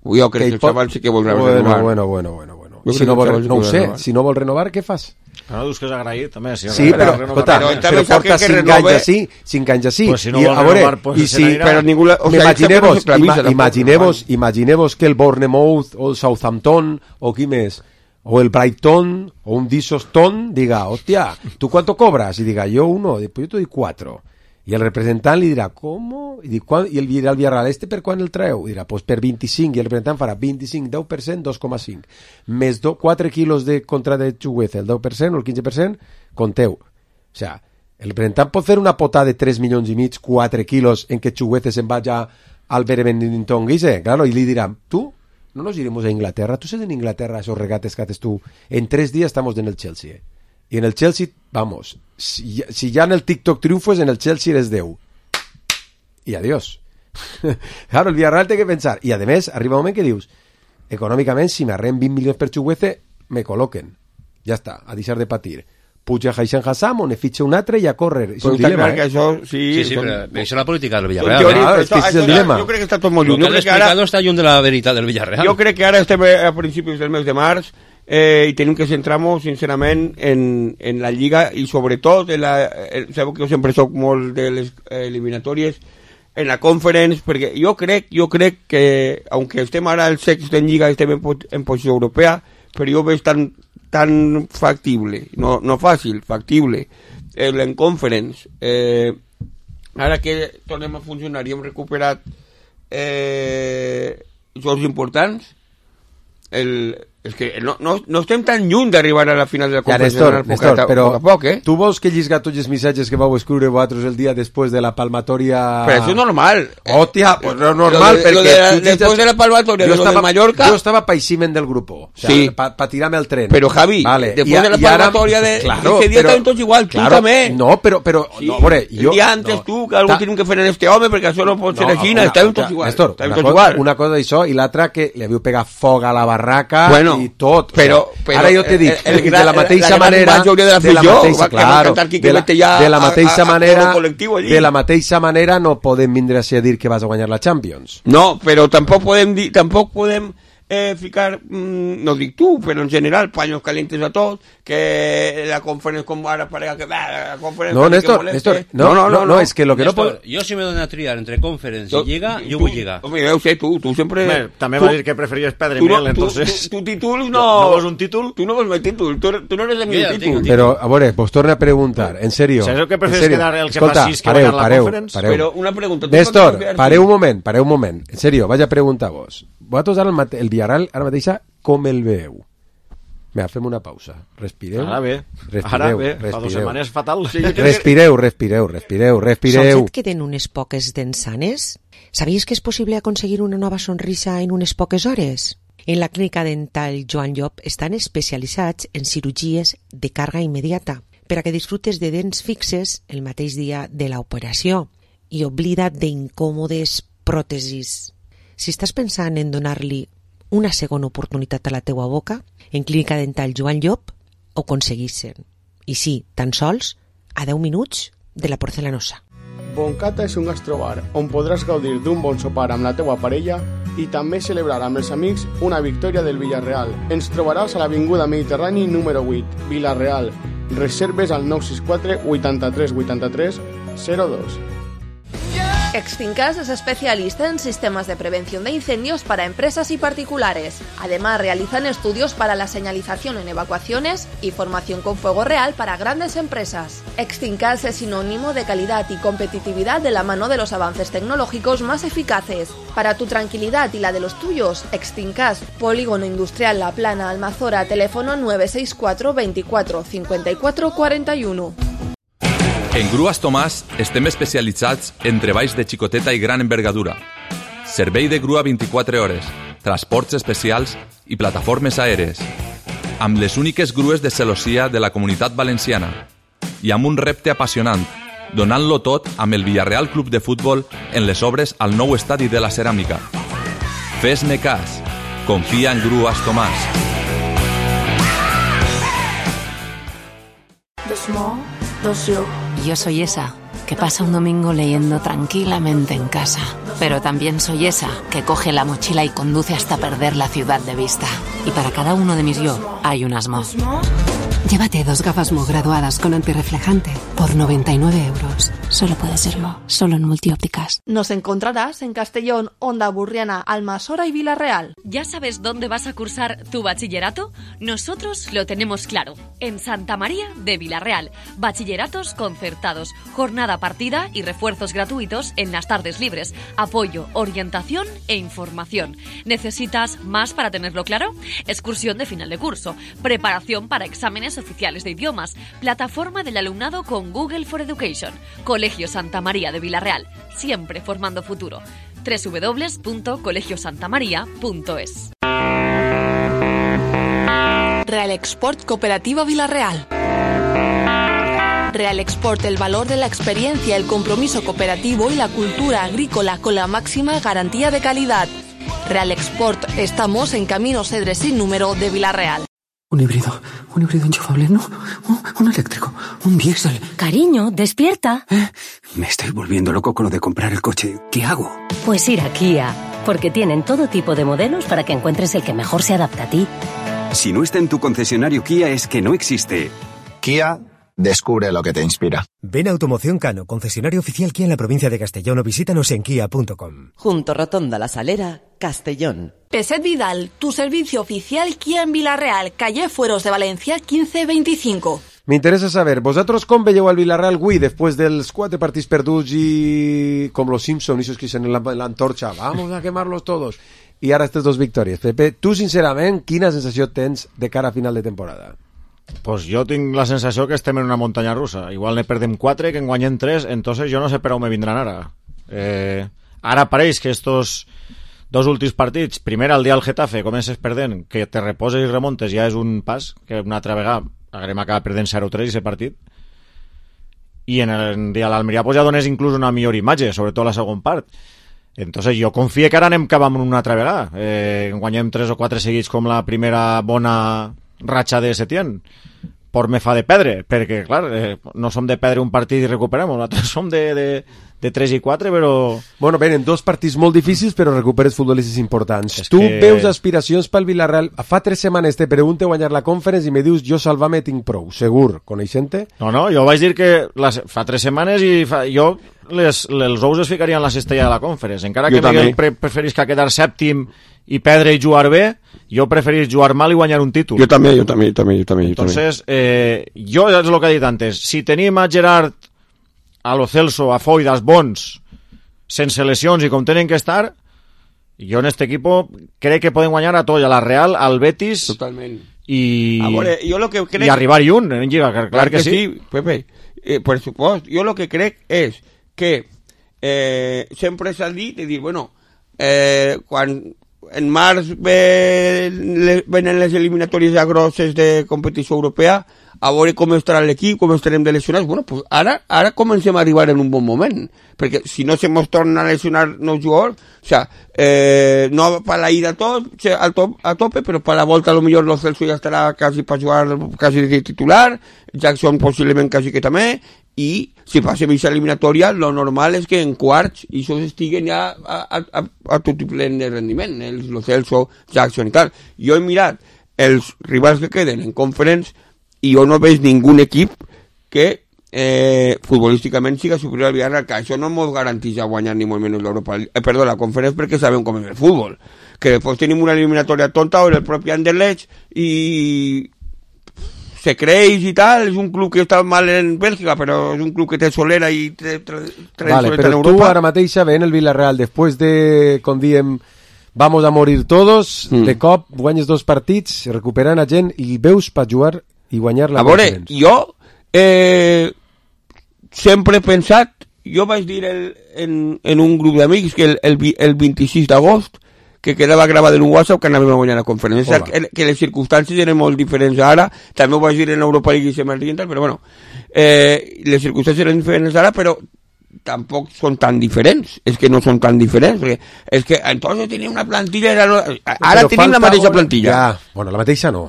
Jo crec que, que el pot... xaval sí que voldrà bueno, renovar. Bueno, bueno, bueno, bueno. Si no, vol, no ho sé, renovar. Si no vol renovar, què fas? Ara dius que és agraït, també. Si sí, però, escolta, però, però porta cinc anys així, cinc anys així. Pues si no I, a veure, pues i si, però ningú, o sea, imaginemos, ima, imaginemos, imaginemos que el Bournemouth o el Southampton o qui més, o el Brighton o un Disoston diga, hostia, ¿tú cuánto cobras? Y diga, yo uno, pues yo te doy cuatro. I el representant li dirà, com? I, dic, I el dirà al Villarreal, este per quan el treu? I dirà, pues per vint-i-cinc, i el representant farà vint-i-cinc, deu per cent, dos coma cinc. Més do, quatre quilos de contra de Chugueza, el deu per cent o el quinze per cent, compteu. O sea, el representant pot fer una pota de tres milions i mig, quatre quilos, en que Chugueza se'n vaya al Benetton Guise, claro, i li dirà, tu, no nos iremos a Inglaterra, tu sabes en Inglaterra esos regates que haces tú, en tres días estamos en el Chelsea, eh? Y en el Chelsea, vamos, si, si ya en el TikTok triunfo es en el Chelsea eres Déu. y adiós. Claro, el Villarreal té que pensar, i a més arriba un moment que dius, econòmicament si m'arren vint milions per Chukwueze me col·loquen, ja està, a deixar de patir. Puja Haixan Hassam o ne fitxa un altre i a córrer. És un dilema, eh? Això, sí, Sí, sí, són... però això és la política del Villarreal. Jo, eh? Ah, és que és el dilema. Jo crec que està tot molt Lo lluny. que Jo has crec que ara, explicado està lluny de la veritat del Villarreal. jo crec que ara estem a principis del mes de març eh, i tenim que centrar-nos sincerament en, en la Lliga i sobretot en la, en, sabeu que jo sempre soc molt de les eliminatòries en la Conference, perquè jo crec jo crec que, aunque estem ara al sext en Lliga, estem en, en posició europea, però jo veig tan, tan factible, no, no fàcil, factible, el, en Conference. Eh, ara que tornem a funcionar i hem recuperat eh, jocs importants, el, és que no, no, no estem tan lluny d'arribar a la final de la Ja, Conference Néstor, Nacional, Néstor, poc a, però poc a poc, eh? tu vols que llisga tots els missatges que vau escriure vosaltres el dia després de la palmatòria... Però això és normal. Hòstia, pues no és normal, Lo de- perquè... lo de la- tu llisgues- después de la palmatoria, Jo de lo de estava- Mallorca- Jo estava païsiment del grupo, o sea, Sí. pa, pa tirarme al tren. Pero, Javi, vale. después I a- de la i ara- palmatoria de- claro, ese día però- estaven tots igual, tu claro, també. No, però... però Sí, no, veure, jo... el dia antes no, tu, que algo ta- tienen que fer en este home, perquè això no pot ser així, una- estàvem una- tots igual. Néstor, Estàvem una, tots cosa, igual. una cosa d'això i l'altra que li havíeu pegat foc a la barraca Bueno, i tot. però- o sea, però ara jo t'he dit, el- el de gran- la mateixa la gran manera... majoria de la de la afició mateixa, va- que va claro, cantar Quique de la, Vete ja de la a- mateixa a- a manera... todo col·lectiu allí. De la mateixa manera no podem vindre a dir que vas a guanyar la Champions. No, però tampoc podem dir, tampoc podem eh, ficar, mm, no dic tu, però en general, paños calientes a tots, que la conferència com ara parega que bah, la conferència... No, Néstor, Néstor, no, no, no, no, es que lo que no Néstor, pot... jo si me dono a triar entre Conference i Lliga, jo tu- vull Lliga. Home, ja ho sé, tu, tu sempre... Hombre, també tu- va dir que preferies perdre tu no- mil, tu- entonces... Tu, tu títol no... ¿No vols un títol? Tu no vols mai títol, tu, tu no eres de Jo mi ja el tinc, títol. el tinc. Però, a veure, vos torno a preguntar, en serio. ¿Sabes que prefieres en serio. quedar el que Escolta, fa sis que pareu, guanyar la pareu, Conference? pareu. Però una pregunta... tu Néstor, per què quedar pareu un així? moment, pareu un moment. En serio, vaig a preguntar-vos. Vosaltres ara el, mate el Villarreal ara mateixa com el veieu? Mira, fem una pausa. Respireu. Ara bé, Respireu, ara bé, fa respireu. dues setmanes fatal. Sí, Respireu, respireu, respireu, respireu. Sols et queden unes poques dents sanes? Sabies que és possible aconseguir una nova sonrisa en unes poques hores? En la clínica dental Joan Llop estan especialitzats en cirurgies de càrrega immediata per a que disfrutes de dents fixes el mateix dia de l'operació i oblida't d'incòmodes pròtesis. Si estàs pensant en donar-li una segona oportunitat a la teua boca, en Clínica Dental Joan Llop ho aconseguissin. I sí, tan sols a deu minuts de la porcelanosa. Boncata és un gastrobar on podràs gaudir d'un bon sopar amb la teua parella i també celebrar amb els amics una victòria del Villarreal. Ens trobaràs a l'Avinguda Mediterrani número vuit, Villarreal. Reserves al nou sis quatre vuitanta-tres vuitanta-tres zero dos. Extincas es especialista en sistemas de prevención de incendios para empresas y particulares. Además, realizan estudios para la señalización en evacuaciones y formación con fuego real para grandes empresas. Extincas es sinónimo de calidad y competitividad de la mano de los avances tecnológicos más eficaces. Para tu tranquilidad y la de los tuyos, Extincas, Polígono Industrial La Plana, Almazora, teléfono nueve seis cuatro veinticuatro cincuenta y cuatro cuarenta y uno. En Grues Tomàs estem especialitzats en treballs de xicoteta i gran envergadura. Servei de grua vint-i-quatre hores, transports especials i plataformes aèries. Amb les úniques grues de celossia de la Comunitat Valenciana. I amb un repte apassionant, donant-lo tot amb el Villarreal Club de Futbol en les obres al nou estadi de la Ceràmica. Fes-me cas. Confia en Grues Tomàs. Yo soy esa que pasa un domingo leyendo tranquilamente en casa. Pero también soy esa que coge la mochila y conduce hasta perder la ciudad de vista. Y para cada uno de mis yo hay un Asmo. Llévate dos gafas Mo graduadas con antirreflejante por noventa y nueve euros. Solo puede ser Mo, solo en Multiópticas. Nos encontrarás en Castellón, Onda Burriana, Almasora y Villarreal. ¿Ya sabes dónde vas a cursar tu bachillerato? Nosotros lo tenemos claro. En Santa María de Villarreal. Bachilleratos concertados, jornada partida y refuerzos gratuitos en las tardes libres. Apoyo, orientación e información. ¿Necesitas más para tenerlo claro? Excursión de final de curso. Preparación para exámenes oficiales de idiomas. Plataforma del alumnado con Google for Education. Colegio Santa María de Villarreal. Siempre formando futuro. doble u doble u doble u punto colegio santa maría punto es. Real Export Cooperativa Villarreal. Real Export el valor de la experiencia, el compromiso cooperativo y la cultura agrícola con la máxima garantía de calidad. Real Export, estamos en Camino Cedre sin número de Vila-real. Un híbrido, un híbrido enchufable, no, un, un eléctrico, un diésel. Cariño, despierta. ¿Eh? Me estoy volviendo loco con lo de comprar el coche. ¿Qué hago? Pues ir a Kia, porque tienen todo tipo de modelos para que encuentres el que mejor se adapta a ti. Si no está en tu concesionario Kia es que no existe. Kia, descubre lo que te inspira. Ven a Automoción Cano, concesionario oficial Kia en la provincia de Castellón, o visítanos en kia punto com. Junto Rotonda La Salera, Castellón. Peset Vidal, tu servicio oficial Kia en Vila-real, calle Fueros de Valencia, quince veinticinco. Me interesa saber, ¿vosotros com veieu al Villarreal avui después dels quatre partits perduts y com los Simpson, esos que dicen en la, en la antorcha, vamos a quemarlos todos, y ara estas dos victòries? Pepe, tu sincerament, quina sensació tens de cara a final de temporada? Pues jo tinc la sensació que estem en una muntanya russa. Igual ne perdem quatre, que en guanyem tres, entonces jo no sé per on me vindran ara. Eh, ara pareix que estos dos últims partits, primer el dia al Getafe, comences perdent, que te reposes i remontes ja és un pas, que una altra vegada haguem acabat perdent zero tres aquest partit, i en el dia a l'Almeria pues ja dones inclús una millor imatge, sobretot la segon part. Entonces jo confio que ara anem cap amb una altra vegada, eh, guanyem tres o quatre seguits com la primera bona ratxa de Setién. Por me fa de perdre, perquè clar, eh, no som de perdre un partit i recuperem, nosaltres som de, de, de tres i quatre, però... Bueno, venen dos partits molt difícils, però recuperes futbolistes importants. És tu que... veus aspiracions pel Villarreal? Fa tres setmanes te pregunte guanyar la Conference i me dius, jo salvar-me tinc prou, segur, coneixent-te? No, no, jo vaig dir que les, fa tres setmanes i fa, jo les, els ous es ficarien en la cistella de la Conference, encara jo que Miguel pre preferisca quedar sèptim i perdre i jugar bé, jo preferís jugar mal i guanyar un títol. Jo també, jo també, jo també, jo també. Entonces, eh, jo és el que he dit antes, si tenim a Gerard, a Lo Celso, a Foydas bons, sense lesions i com tenen que estar, jo en este equipo crec que poden guanyar a tot, a la Real, al Betis... Totalment. I, a veure, jo lo que crec... i arribar i un en Lliga, clar, clar que, que sí. sí. Pepe, eh, per supost, jo lo que crec és que eh, sempre s'ha dit de dir, bueno, eh, quan en març ve, le, venen les eliminatòries ja grosses de competició europea, a veure com estarà l'equip, com estarem de lesionats. Bueno, pues ara, ara comencem a arribar en un bon moment, perquè si no se mos torna a lesionar no jugadors, o sea, eh, no per la ida a, tot, a, top, a tope, però per la volta a lo millor Lo Celso ja estarà quasi per jugar quasi de titular, Jackson possiblement quasi que també, i si passem aquesta eliminatòria, lo normal és que en quarts i això estiguen ja a, a, a, a tot plen de rendiment, els Lo Celso, Jackson i tal. Jo he mirat els rivals que queden en Conference i jo no veig ningú equip que eh, futbolísticament siga superior al Villarreal, que això no ens garanteix guanyar ni molt menys l'Europa, eh, perdó, la Conference, perquè sabem com és el futbol, que després tenim una eliminatòria tonta o el propi Anderlecht i se creix i tal, és un club que està mal en Bèlgica, però és un club que té solera i té tradició vale, en però Europa. Tu ara mateix ven el Villarreal, després de, com diem, vamos a morir todos, mm. de cop guanyes dos partits, recuperant a gent i veus per jugar i guanyar la Conference. A veure, jo eh, sempre he pensat, jo vaig dir el, en, en un grup d'amics que el, el, el vint-i-sis d'agost que quedava gravat en un WhatsApp que anàvem a guanyar la conferència, que, que les circumstàncies eren molt diferents ara, també ho vaig dir en Europa League i se m'ha tal, però bueno, eh, les circumstàncies eren diferents ara, però tampoc són tan diferents, és que no són tan diferents, perquè és que entonces tenia una plantilla, era, ara però tenim la mateixa plantilla. Ja, bueno, la mateixa no.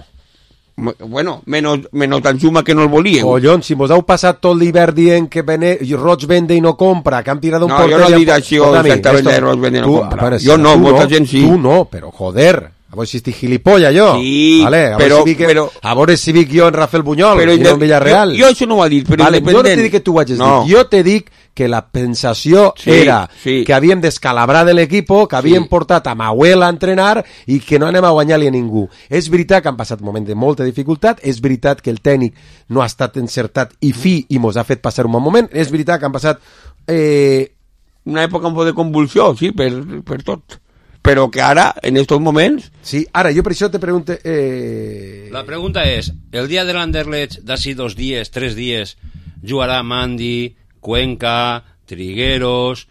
Bueno, menos, menos Tanzuma que no el volíem. Collons, si mos heu passat tot l'hivern dient que vene, Roig vende i no compra, que han tirat un no, porter... No, jo no he dit això exactament de Roig vende i no compra. Para, jo no, molta no, gent sí. Tu no, però joder, a veure si estic gilipollas jo. Sí, vale, a però... Si que, però a veure si vic jo en Rafael Buñol però, i no en Villarreal. Jo, jo això no ho ha dit, però vale, independent... Jo no t'he dit que tu ho hagis no. dit, jo t'he dit que la pensació sí, era sí. que havíem descalabrar de l'equip, que havíem sí. portat a Mahuel a entrenar i que no anem a guanyar-li a ningú. És veritat que han passat un moment de molta dificultat, és veritat que el tècnic no ha estat encertat i fi i mos ha fet passar un bon moment, és veritat que han passat... Eh... una època un poc de convulsió, sí, per, per tot. Però que ara, en estos moments... Sí, ara, jo per això te pregunto... Eh... La pregunta és, el dia de l'Anderlecht, d'ací dos dies, tres dies, jugarà Mandy... Cuenca, Trigueros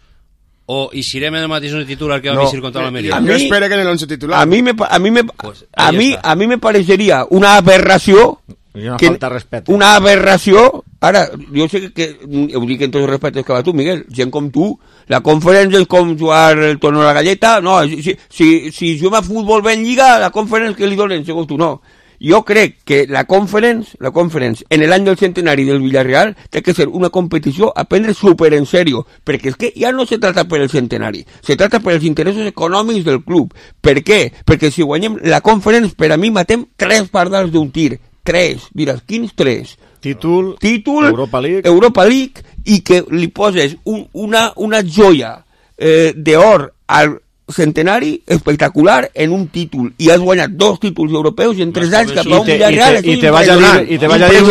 o i serem en el mateix titular que va no, visir contra l'Almeria. A mi, jo espero que en el once titular. A mi me, a mi me, pues a, mi, a mi me parecería una aberració una que falta de respecte. Una aberració. Ara, jo sé que, que ho dic en tots els respectes que va tu, Miguel, gent com tu, la conferència és com jugar el torno a la galleta, no, si, si, si juguem a futbol ben lliga, la conferència que li donen, segons tu, no. Jo crec que la conference, la conference, en l'any del centenari del Villarreal, té que ser una competició a prendre super en serio, perquè és que ja no se trata per el centenari, se trata per els interessos econòmics del club. Per què? Perquè si guanyem la conference, per a mi matem tres pardals d'un tir, tres, diràs, quins tres? Títol, Títol Europa League, Europa League i que li poses un, una, una joia eh, d'or al centenari espectacular en un títol i has guanyat dos títols europeus en tres anys cap a un Villarreal. I te vaig a dir i te vaig a dir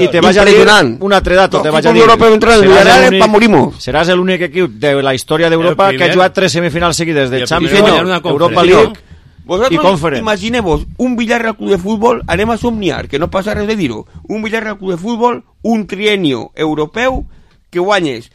i te vaig a dir un altre dato, te vaig a dir. Seràs l'únic equip de la història d'Europa que ha jugat tres semifinals seguides de Champions, Europa League i Conference. Imagineu-vos un Villarreal Club de Futbol, anem a somniar, que no passa res de dir-ho, un Villarreal Club de Futbol, un trienio europeu que guanyes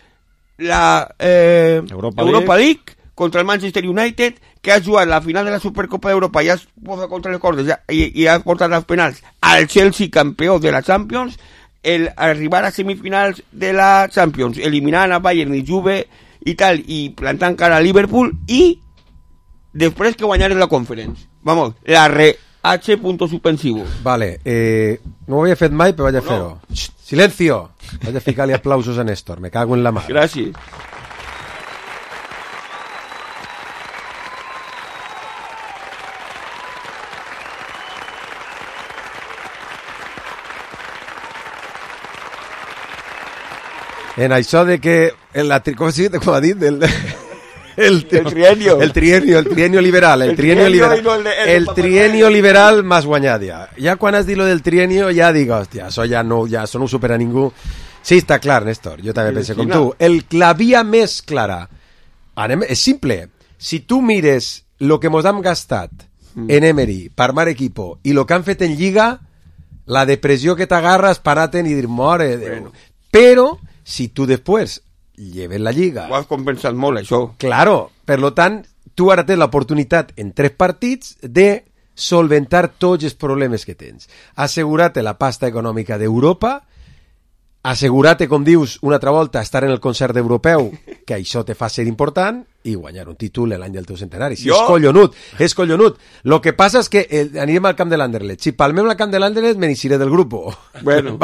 la eh, Europa, Europa League, League contra el Manchester United, que ha jugat la final de la Supercopa d'Europa i has posat contra les cordes ja, i, i has portat als penals al Chelsea campió de la Champions, el arribar a semifinals de la Champions, eliminant a Bayern i Juve i tal, i plantant cara a Liverpool, i després que guanyares la Conference. Vamos, la re H punto suspensivo. Vale, eh, no ho havia fet mai, però vaig a no. fer-ho. Silencio! Vaig a ficar-li aplausos a Néstor, me cago en la mà. Gràcies. En això de que... En la, com, sí, com ha dit? Del, el, el trienio. El trienio, el trienio liberal. El, el trienio, trienio liberal. No el, el, el trienio liberal más guanyat ja. Ja quan has dit lo del trienio ja dic, hòstia, això ja no, ja, això no ho supera ningú. Sí, està clar, Néstor, jo també pensé com tu. El, la via més clara, anem, és simple. Si tu mires lo que mos hem gastat mm. en Emery, per mar equipo, i lo que han fet en Lliga, la depressió que t'agarres, paraten i dir, more Déu. Bueno. Però, si tu després lleves la Lliga... Ho has compensat molt, això. Claro, per lo tant, tu ara tens l'oportunitat en tres partits de solventar tots els problemes que tens. Assegurar-te la pasta econòmica d'Europa, assegurar-te, com dius, una altra volta, estar en el concert europeu, que això te fa ser important, i guanyar un títol l'any del teu centenari. Sí, jo... És collonut, és collonut. Lo que passa és que eh, anirem al camp de l'Anderlecht. Si palmem al camp de l'Anderlecht, me n'eixiré del grup. Bueno.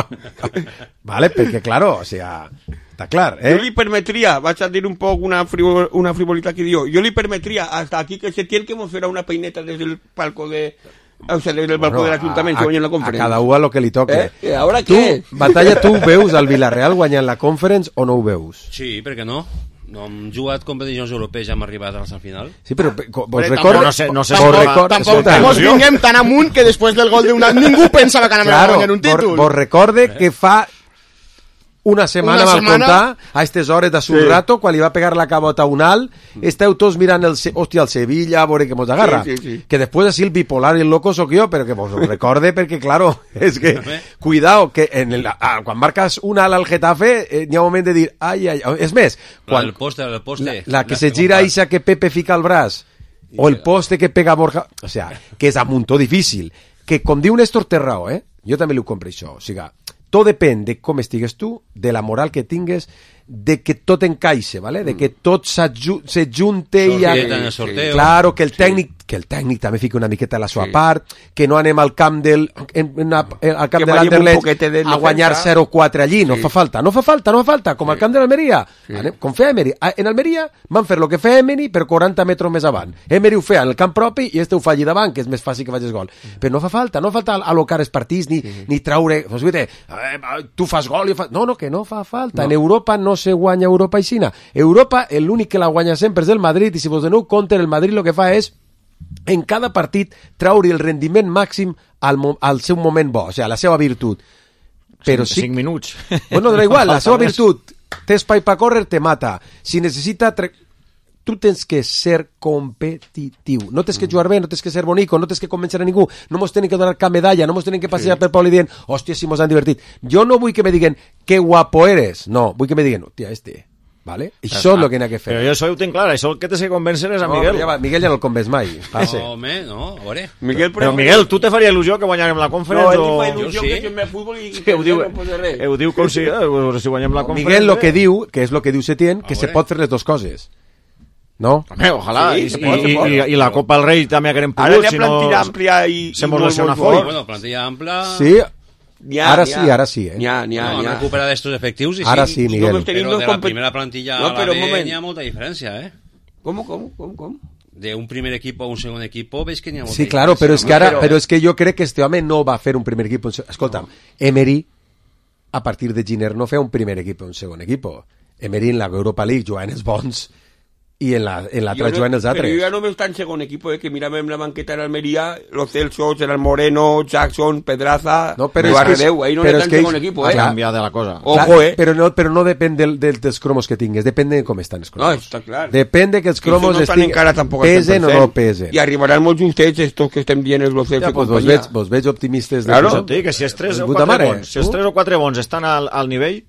Vale, perquè, claro, o sea... Està clar, eh? Jo li permetria, vaig a dir un poc una, frivol, una frivolitat que diu, jo li permetria hasta aquí que se tiene que mos farà una peineta des del palco de... O sea, des del balcó bueno, de l'Ajuntament que guanyen la Conference. A cada un a lo que li toque. Eh? Ahora tu, què? Batalla, tu veus al Villarreal guanyant la Conference o no ho veus? Sí, per què no? No hem jugat competicions europees, ja hem arribat a la final. Sí, però vos recordo... No sé, no sé tampoc, tampoc, tampoc mos vinguem tan amunt que després del gol d'un... Ningú pensava que anàvem claro, a guanyar un títol. Vos recorde eh? que fa... Una setmana va contar a aquestes hores de su sí. rato, quan li va pegar la cabota a un alt, esteu tots mirant el, hòstia, el Sevilla, a veure que mos agarra. Sí, sí, sí. Que després així el bipolar i el loco soc jo, però que vos ho recorde perquè, claro, és que, cuidao, que en el, ah, quan marques un alt al Getafe, eh, n'hi ha un moment de dir, ai, ai, és més, quan, el poste, el poste, la, la que se gira ixa que Pepe fica el braç, o el poste que pega Borja, o sea, que és amuntó difícil, que com diu Néstor té raó, eh? Jo també li ho compro això, o sigui, tot depèn de com estigues tu, de la moral que tingues, de que tot encaixe, ¿vale? De que tot se junte i... Sorteo. Claro, que el tècnic sí. que el tècnic també fica una miqueta a la sua sí. part, que no anem al camp del en, en, en, al camp que de l'Anderlecht a guanyar zero quatre allí, no sí. fa falta, no fa falta, no fa falta, com sí. al camp de l'Almeria, sí. com feia Emery. En Almeria van fer el que feia Emery per quaranta metres més avant. Emery ho feia en el camp propi i este ho fa allí davant, que és més fàcil que facis gol. Mm. Però no fa falta, no fa falta alocar els partits ni, mm. ni traure, pues, eh, tu fas gol i fa... No, no, que no fa falta. No. En Europa no se guanya Europa i Xina. Europa, l'únic que la guanya sempre és el Madrid, i si vos doneu compte, el Madrid el que fa és en cada partit traure el rendiment màxim al, al seu moment bo, o sigui, a la seva virtut. Però sí, cinc minuts. Bueno, no igual, la seva virtut té espai per córrer, te mata. Si necessita... Tre... Tu tens que ser competitiu. No tens que jugar bé, no tens que ser bonico, no tens que convèncer a ningú, no mos tenen que donar cap medalla, no mos tenen que passejar sí. per Pol i dient, hòstia, si mos han divertit. Jo no vull que me diguen que guapo eres. No, vull que me diguen, hòstia, este... Vale? Això és el que n'ha que fer. Però jo això ho tinc clar, això el que t'has de convèncer és a No, Miguel. ja va, Miguel ja no el convenç mai. Passe. No, home, no, a veure. Miguel, Però Miguel, tu te faria il·lusió que guanyarem la conferència? No, ell o... fa il·lusió Jo sí. que juguem a futbol i Sí, que ho diu, no pot fer res. ho diu com si, eh, si guanyem la conferència. Miguel lo que diu, que és lo que diu Setién, que A se veure. pot fer les dues coses. No? Home, ojalà. Sí, I, se i, pot, se i, pot. i, I la Copa del Rei també haguem Ara pogut, hi ha si no... plantilla àmplia i... se i mos molt, lesiona molt Foy. fort. Bueno, plantilla ampla... Sí, N'hi ha, ara n'hi sí, ha. ara sí, eh? N'hi ha, n'hi ha, No, n'hi han ha. recuperat estos efectius i Ara sí. sí, Miguel. només tenim Però dos de la compet- primera plantilla No, a però la un B moment. n'hi ha molta diferència, eh? Com, com, com, com? De un primer equipo a un segon equipo veig que n'hi ha molta Sí, claro, però és que ara, Però- però és que jo crec que este home no va fer un primer equip. Escolta'm, Emery, a partir de Giner, no feia un primer equip o un segon equip. Emery en la Europa League jugant els bons i en la, en l'altra Jo no- jugant els Però altres. jo ja només està en segon equip, eh, que miràvem la banqueta en Almeria, los Celso, el Moreno, Jackson, Pedraza, No, però no, és que és- Arredeu, ahí no però està és en que segon ells- equip, Ha eh? canviat de la cosa. Ojo, Clar, eh? Però no, però no depèn del, del, dels cromos que tingues, depèn de com estan els cromos. No, està clar. Depèn de que els Que cromos no estan estiguen- encara tampoc al pesen o cent per cent. no pesen. I arribaran molts justets estos que estem dient els los Celso Ja, i pues vos companyia. veig, vos veig optimistes. De Claro. posar- Sí, que si els tres o Puta quatre mare, bons, si els tu? tres o quatre bons estan al, al nivell,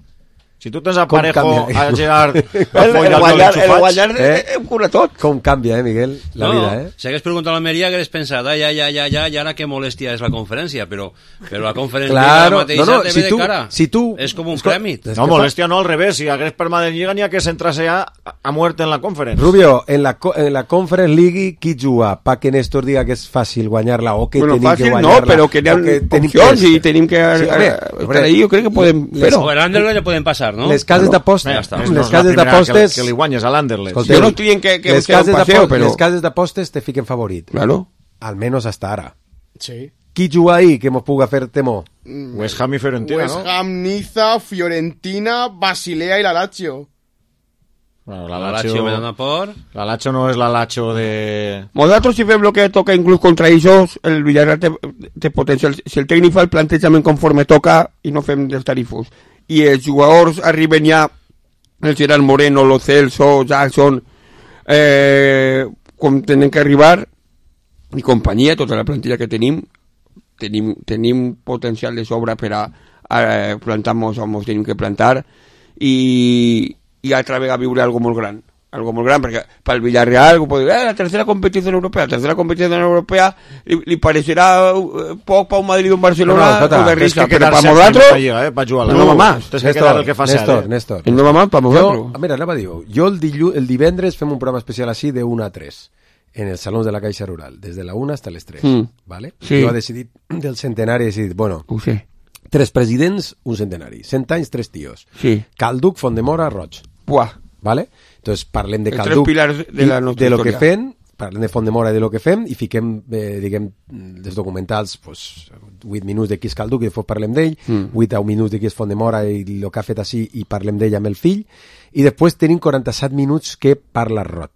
si tu tens a Com Parejo, canvia. a Gerard, a El, Foy, el, al Jol guanyar, el enxufats, guanyar eh? eh? ho cura tot. Com canvia, eh, Miguel, la no, vida, eh? Si hagués preguntat a l'Almeria hagués pensat, ah, ja, ja, ja, ja, i ara que molèstia és la conferència, però, però la conferència Claro, mateixa no, no, te si ve tu- de cara. si tu- És com un escol- crèmit. És No, que molèstia no, al revés. Si hagués permanent Lliga, n'hi ha que centrar-se ja a, a muerte en la conferència. Rubio, en la, co- en la Conference League, qui juga? Pa que Néstor diga que és fàcil guanyar-la o que Bueno, tenim fàcil que no, guanyar-la. però que hi ha o que tenim opcions que- i tenim que Sí, eh, hombre, estar hombre, ahí, jo crec que podem les- fer-ho. O el Anderlecht ja poden passar, no? Les cases d'apostes, Ja està. les No és la cases primera d'apostes, que, que li guanyes a l'Anderlecht. Escolteu, Jo no estic dient que- que les sea un cases paseo, d'apostes- però- les cases d'apostes te fiquen favorit. Claro. Almenos hasta ara. Sí. Qui juga ahí que mos puga fer temor? West Ham i Fiorentina, West no? Ham, Niza, Fiorentina, Basilea y la Lazio. Bueno, La la Lazio Lazio, me dona por... la Lazio no és la Lazio de... Nosaltres si fem el que toca inclús contra ells, el Villarreal té, té potencial. Si el tècnic fa el plantejament conforme toca i no fem dels tarifos, i els jugadors arriben ja, el Gerard Moreno, Lo Celso, Jackson, eh, com tenen que arribar, i companyia, tota la plantilla que tenim, tenim, tenim potencial de sobra per a, a plantar-nos on ens tenim que plantar, i, i altra vegada viure algo molt gran. Algo molt gran, perquè pel Villarreal pot dir, eh, la tercera competició europea, la tercera competició europea li, li parecerà eh, poc per un Madrid o un Barcelona, No, no, escolta, o de Tens risa, que però quedar per set nosaltres, primera lliga, eh, per jugar-la. no va más. Tens que quedar el que fa set, Néstor, eh? Néstor. no va mal per Jo, nosaltres. mira, anava a dir, jo el, dillu, el divendres fem un programa especial així de una a tres en el Salón de la Caixa Rural, des de la una hasta les tres, Mm. ¿vale? Sí. Jo he decidit del centenari, he decidit, bueno, Ho sé. tres presidents, un centenari, cent anys, tres tios. Sí. Calduc, Fondemora, Roig. Buah. ¿Vale? Entonces parlem de Els tres Calduc pilars de i la nostra de lo que història. fem, parlem de Fondemora i de lo que fem i fiquem, eh, diguem, dels documentals pues, vuit minuts de qui és Calduc i després parlem d'ell, Mm. vuit a un minuts de qui és Fondemora i el que ha fet així i parlem d'ell amb el fill, i després tenim quaranta-set minuts que parla Roig.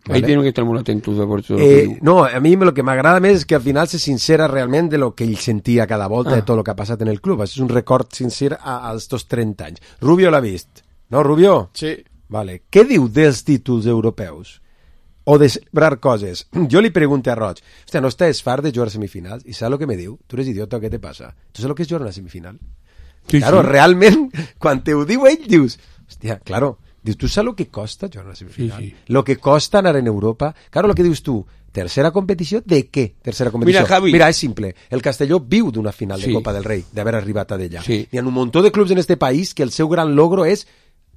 Ahí tienen que estar molt atentos a por todo lo que Eh, diu. no, a mi lo que m'agrada més és que al final se sincera realment de lo que ell sentia cada volta, Ah. de tot el que ha passat en el club. Això és un record sincer a, als dos trenta anys. Rubio l'ha vist, no, Rubio? Sí. Vale. Què diu dels títols europeus? O de celebrar coses? Jo li pregunto a Roig, hòstia, ¿no estàs fart de jugar semifinals? I saps el que me diu? Tu eres idiota, què te passa? Tu saps el que és jugar una semifinal? Sí, claro, sí. realment, quan te ho diu ell, dius, hòstia, claro, dius, tu saps el que costa jugar una semifinal? Sí, sí. Lo que costa anar en Europa? Claro, lo que dius tu, tercera competició, de què? Tercera competició. Mira, Javi. Mira, és simple. El Castelló viu d'una final de Sí. Copa del Rei, d'haver arribat a d'ella. Sí. Hi ha un muntó de clubs en este país que el seu gran logro és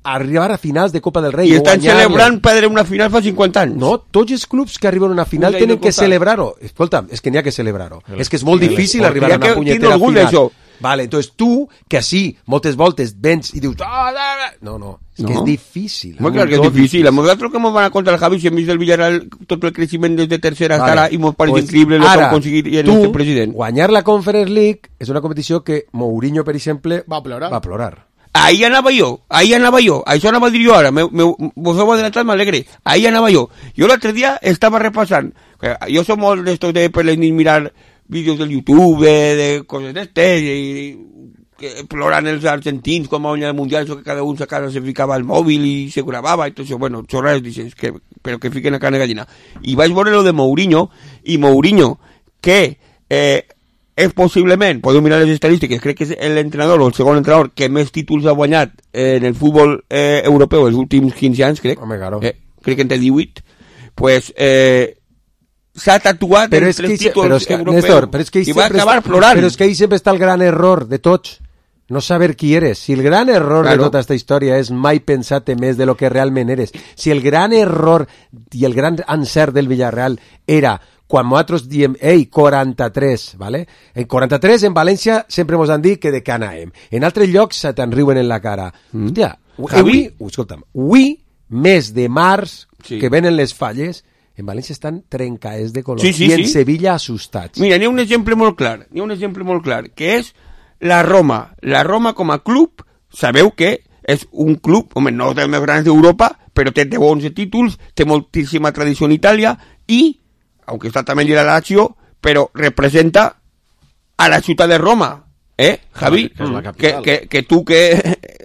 arribar a finals de Copa del Rei. I o estan guanyar-la. celebrant perdre una final fa cinquanta anys. No, tots els clubs que arriben a una final Us he tenen de que contar. celebrar-ho. Escolta, és que n'hi ha que celebrar-ho. El- És que és molt el difícil esport. arribar Hi a ha una que punyetera tindre orgull final. d'això. Vale, entonces tu, que sí, moltes voltes vens i dius... "Ah, ah, ah". No, no, és que No. és difícil. Molt clar que és difícil. A nosaltres que ens van a contar el Javi, si hem vist el Villarreal tot el creixement des de tercera hasta Vale. ara i ens pareix Pues increïble el que ara, han aconseguit i el tu, nostre president. guanyar la Conference League és una competició que Mourinho, per exemple, Va a plorar. va a plorar. Ahí anava jo, ahí anava jo, això anava a dir jo ara, me, me, vos heu adelantat, m'alegre, ahí anava jo. Jo l'altre dia estava repassant, que jo som molt d'estos de per les nits mirar vídeos del YouTube, de, de coses d'estes, i que ploran els argentins com a guanyar el Mundial, això que cada un a casa se ficava al mòbil i se gravava, i tot això, bueno, xorrades, dices, que, però que fiquen a carne gallina. I vaig veure lo de Mourinho, i Mourinho, que eh, és possiblement, podeu mirar les estadístiques, crec que és l'entrenador o el segon entrenador que més títols ha guanyat en el futbol eh, europeu els últims quinze anys, crec. Home, claro. Eh, crec que en té divuit. Pues, eh, s'ha tatuat però en és tres que, títols però és que, europeus Néstor, però és que i va acabar està, plorant. Però és que ahí sempre està el gran error de tots. No saber qui eres. Si el gran error claro. de tota aquesta història és mai pensar-te més de lo que realment eres. Si el gran error i el gran encert del Villarreal era quan nosaltres diem, ei, quaranta-tres, ¿vale? En quaranta-tres, en València, sempre ens han dit que de què anàvem. En altres llocs se te'n riuen en la cara. Mm. Hòstia, avui, escolta'm, avui, mes de març, sí. que venen les falles, en València estan trencaes de color. Sí, sí, I en sí. Sevilla assustats. Mira, n'hi ha un exemple molt clar, n'hi ha un exemple molt clar, que és la Roma. La Roma com a club, sabeu que és un club, home, no dels més grans d'Europa, però té deu onze títols, té moltíssima tradició en Itàlia i, aunque està també lligat a la Lazio, però representa a la ciutat de Roma. Eh, Javi? Que, que, que, que, que tu que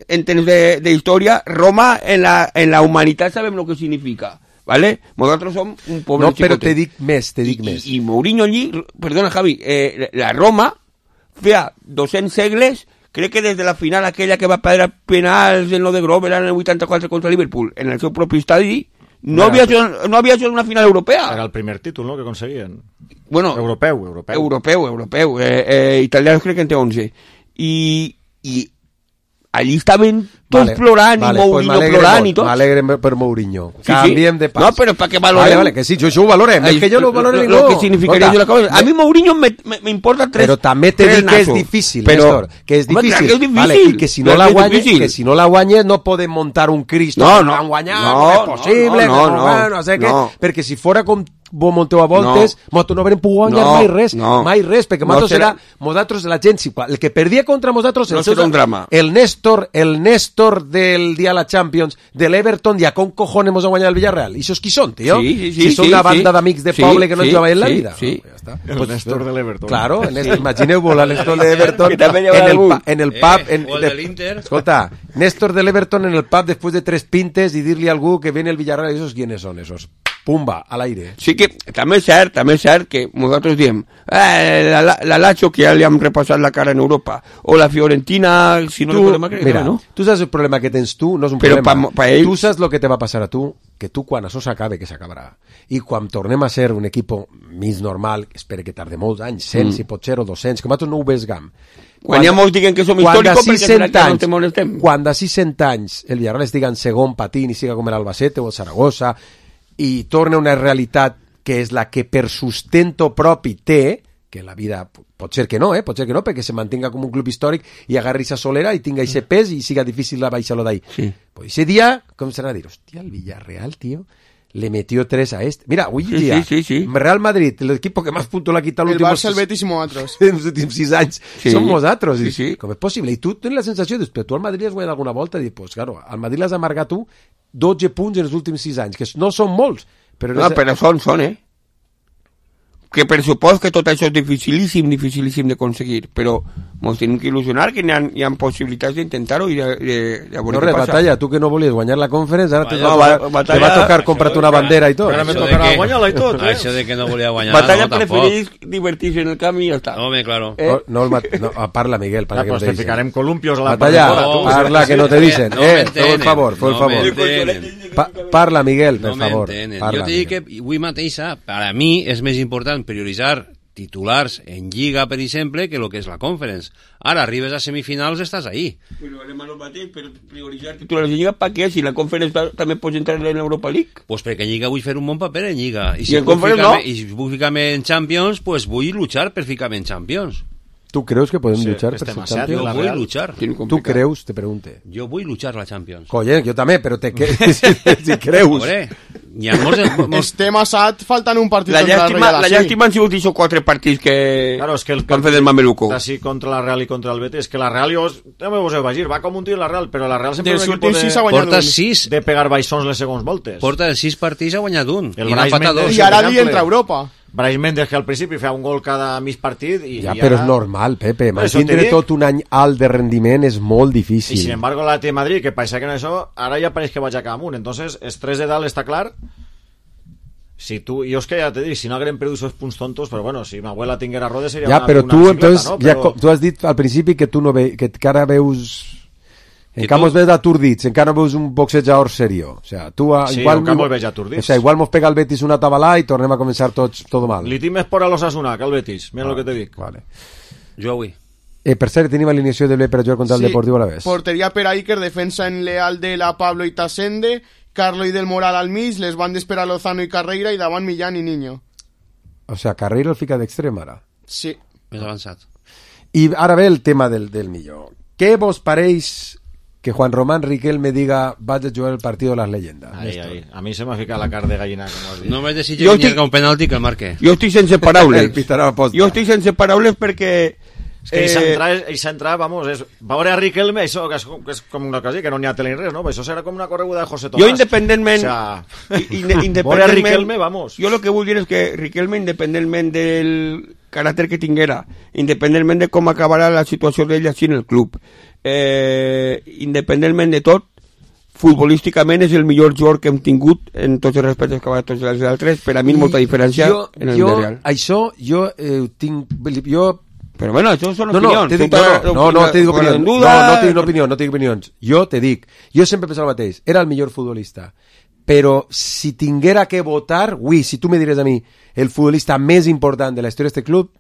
entens de, de història, Roma en la, en la humanitat sabem el que significa. ¿Vale? Nosaltres som un poble no, però te dic més, te dic I, més. I, i Mourinho allí, perdona Javi, eh, la Roma feia dos-cents segles, crec que des de la final aquella que va perdre penals en lo de Grover en el vuitanta-quatre contra Liverpool, en el seu propi estadi, no, havia, no havia jugat una final europea. Era el primer títol, no?, que aconseguien. Bueno, europeu, europeu. Europeu, europeu. Eh, eh, italians crec que en té onze. I, i allí estaven tots vale, plorant vale, i Mourinho pues plorant i tot. M'alegre per Mourinho. Sí, Canviem sí. de pas. No, però per què valorem? Vale, vale, que sí, jo això ho valorem. Ay, és que jo no ho valoro ningú. Lo que significaria jo la cosa. A mi Mourinho me, me, me importa tres. Però també te dic que és difícil, però, Néstor. Que és difícil. Home, que és difícil. Vale, i que si no la guanyes, que si no la guanyes no podem montar un Cristo. No, no. No, guanyar, no, no és possible. No, no, no. no, no sé no. què. Perquè si fora com vos monteu a voltes, no. nosaltres no haurem pogut guanyar no, mai res, no. mai res, perquè no nosaltres serà, nosaltres, la gent, el que perdia contra nosaltres, no serà un drama. El Néstor, el Néstor del dia de la Champions, de l'Everton, ja com cojones mos ha guanyat el Villarreal? I això qui són, tio? Sí, sí, sí, si són sí, una banda sí. d'amics de sí, poble que no sí, jugaven en la sí, vida. Sí, no, ja està. El pues, Néstor de l'Everton. Claro, en este, imagineu-vos el Néstor de l'Everton en el, en el pub, eh, en, o el de l'Inter. Escolta, Néstor de l'Everton en el pub después de tres pintes y dirle a algú que viene el Villarreal, ¿esos quiénes son esos? Pumba, al aire. Sí que també és cert, també és cert que nosaltres diem eh, la, la, la Lazio que ja li hem repassat la cara en Europa o la Fiorentina, si no tu, recordem que mira, no? Tu saps el problema que tens tu, no és un Però problema. Pa, pa ells... Tu saps el que te va passar a tu, que tu quan això s'acabe, que s'acabarà, i quan tornem a ser un equip mig normal, espero que tarde molts anys, cent, mm. si pot ser, o dos-cents, que nosaltres no ho vesgam. Quan ja molts diguen que som històricos perquè serà que no te molestem. Quan d'ací cent anys el Villarreal estigui en segon patint i siga com el Albacete o el Saragossa i torna una realitat que és la que per sustento propi té, que la vida pot ser que no, eh? pot ser que no, perquè se mantenga com un club històric i agarri sa solera i tinga ese pes i siga difícil baixar-lo d'ahí. Sí. Pues ese día, com serà a dir, hòstia, el Villarreal, tío, le metió tres a este. Mira, hoy sí, día, sí, sí, sí. Real Madrid, el equipo que más puntos le ha quitado el últimos Barça, el Betis i nosaltres. en els últims sis anys sí. som nosaltres. Sí, sí. Com és possible? I tu tens la sensació de que tu al Madrid has guanyat alguna volta i dius, pues claro, al Madrid l'has amargat tu dotze punts en els últims sis anys, que no són molts. Però no, però són, són, eh? Que per supòs que tot això és dificilíssim, dificilíssim d'aconseguir, però ens tenim que il·lusionar que hi ha, hi ha possibilitats d'intentar-ho i de, de, de veure no què res, passa. Batalla, tu que no volies guanyar la Conference, ara te va, no, tocar, batalla, te va tocar comprar-te una bandera i tot. Ara me tocarà guanyar-la i tot, eh? Això de que no volia guanyar, Batalla no, preferís divertir-se en el camp i ja està. Home, claro. Eh? No, no, no, parla, Miguel, para ja, que pues no te te ficarem columpios a la Batalla, no, parla, que no te dicen. No eh, feu el favor, feu el favor. Pa parla, Miguel, per no favor. Parla, jo t'he dit que avui mateixa, per a mi, és més important prioritzar titulars en Lliga, per exemple, que el que és la Conference. Ara, arribes a semifinals, estàs ahí. Però anem a lo mateix, per prioritzar titulars en Lliga, per què? Si la Conference també pots entrar en l'Europa League. Pues perquè en Lliga vull fer un bon paper en Lliga. I I si en Conference no. I si vull ficar-me en Champions, pues vull luchar per ficar-me en Champions. ¿Tú creus que podem sí, luchar per ser Champions? Jo vull luchar. Tu creus, te pregunte. Jo vull luchar la Champions. Colle, jo també, però te que si, si creus. Veure, hi ha molts... molts... Estem assat, faltant un partit la contra llàstima, la Real. La llàstima han sigut aquests quatre partits que, claro, es que el que han fet el Mameluco. Así contra la Real y contra el Betis, que la Real, jo també vos he vagir, va com un tio la Real, però la Real sempre és un equip de, porta sis de pegar baixons les segons voltes. Porta sis partits, ha guanyat un. El I n'ha empatat dos. I ara li entra a Europa. Brais Méndez, que al principi feia un gol cada mig partit i ja, i però ara... és normal, Pepe, mantindre tot un any alt de rendiment és molt difícil. I sin embargo la T Madrid, que pareix que no això, ara ja pareix que vaig a cap amunt, entonces els tres de dalt està clar. si tu, jo és que ja t'he dit, si no haguem perdut esos punts tontos, però bueno, si ma abuela tinguera rodes seria ja, una, però una tu, bicicleta, entonces, no? ja, Però... tu has dit al principi que tu no ve, que encara veus... I encara tu? mos veus aturdits, encara no veus un boxejador serio. O sea, tu a, Sí, igual, encara mos veig aturdits. O sea, igual mos pega el Betis una tabalà i tornem a començar tots tot mal. Li tinc més por a l'Osasuna que al Betis, mira Ah, el que te dic. Vale. Jo avui. Eh, per cert, tenim alineació de Ble per a jugar contra el Sí. Deportiu Alavés. Porteria per a Iker, defensa en Leal de la Pablo i Tasende, Carlo i del Moral al mig, les bandes per a Lozano i Carreira i davant Millán i Niño. O sea, Carreiro el fica d'extrem ara. Sí. Més avançat. I ara ve el tema del, del millor. Què vos pareix que Juan Román Riquelme diga vaig a jugar el partido de las leyendas? Ai, ai, a mi se m'ha ficat la car de gallina, com has dit. No me desitges Jo ni estic- que un penalti que el marque. Jo estic sense paraules. El pitarà a posta. Jo estic sense paraules perquè... És que ell s'entra, ell s'entra, vamos, és, veure a Riquelme, això que és, que és com una cosa, que no n'hi ha tele ni res, no? Això serà com una correguda de José Tomás. Jo independentment... O sea, i- inde- independentment veure a Riquelme, vamos. Jo el que vull dir és que Riquelme, independentment del caràcter que tinguera, independentment de com acabarà la situació d'ell així en el club, eh, independentment de tot, futbolísticament és el millor jugador que hem tingut en tots els respectes que va a tots els altres. Per a mi molta diferència jo, en el jo, Villarreal. Això jo eh, tinc... Jo... Però bueno, això són No, no, opinions. te dic, Tu no, t'has- no, no, no, te dic opinions. en No, duda... no te dic opinions, no te dic opinions. Jo te dic, jo sempre he pensat el mateix, era el millor futbolista, però si tinguera que votar, ui, si tu me diràs a mi el futbolista més important de la història d'aquest club,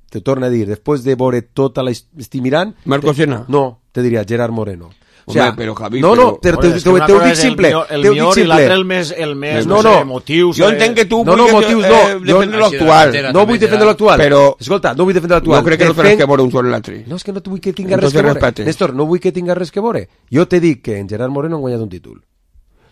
te torno a dir, després de veure tota la... estic mirant... Marco Sena. No, te diria Gerard Moreno. O Home, sea, però, Javi, no, no, però- te, te, Joder, és te, que una te ho cosa dic és el simple, millor- el te ho dic millor i simple. l'altre el més, el més, No, no, no. sé, motius... Jo eh, entenc que tu No, no, vulguis, motius eh, no. defendre Jo- l'actual. No vull defendre l'actual. Però... Escolta, no vull defendre l'actual. No crec que no Defenc- tens que veure un sobre l'altre. No, és que no vull que tinga Entonces res que veure. respecte. Néstor, no vull que tinga res que veure. Jo te dic que en Gerard Moreno ha guanyat un títol.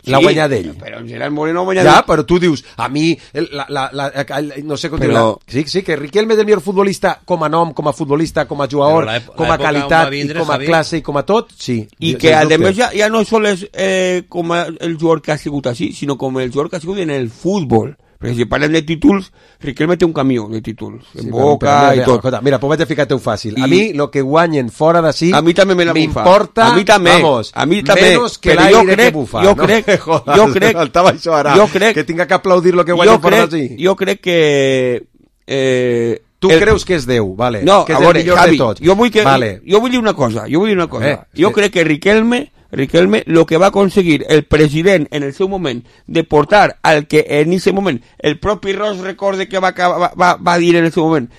L'ha Sí, guanyat ell. Però en Gerard Moreno ha guanyat... Ja, però tu dius, a mi, el, la, la, la, el, no sé com Però- dir-la. Sí, sí, que Riquelme és el millor futbolista com a nom, com a futbolista, com a jugador, Però l'èp- com a l'època on qualitat, va vindre, i com a Javi. classe i com a tot, sí. I Sens que a dubte. més ja, ja no sols és eh, com a- el jugador que ha sigut així, sinó com el jugador que ha sigut en el futbol. Perquè si parlem de títols, Riquelme té un camió de títols, en Sí, Boca però, però, i mira, tot. Escolta, mira, pues vaig a ficar-te-ho fàcil. I- A mi, lo que guanyen fora d'ací, A mi també me la bufa. m'importa, A mi també. vamos, A mi també. menos que Però jo l'aire crec- que bufa. jo no? crec- Jodas, jo crec- faltava això ara, jo crec- que tinga que aplaudir lo que Jo guanyen fora crec, d'ací. jo crec que... Eh, Tu el- creus que és Déu, vale, No, que a és veure, el millor Javi, de tots. jo vull, que, Vale. jo vull dir una cosa, jo vull dir una cosa. Eh, jo sí. crec que Riquelme, Riquelme, lo que va aconseguir el president en el seu moment de portar al que en ese moment el propi Ross recorde que va, va, va, va dir en el seu moment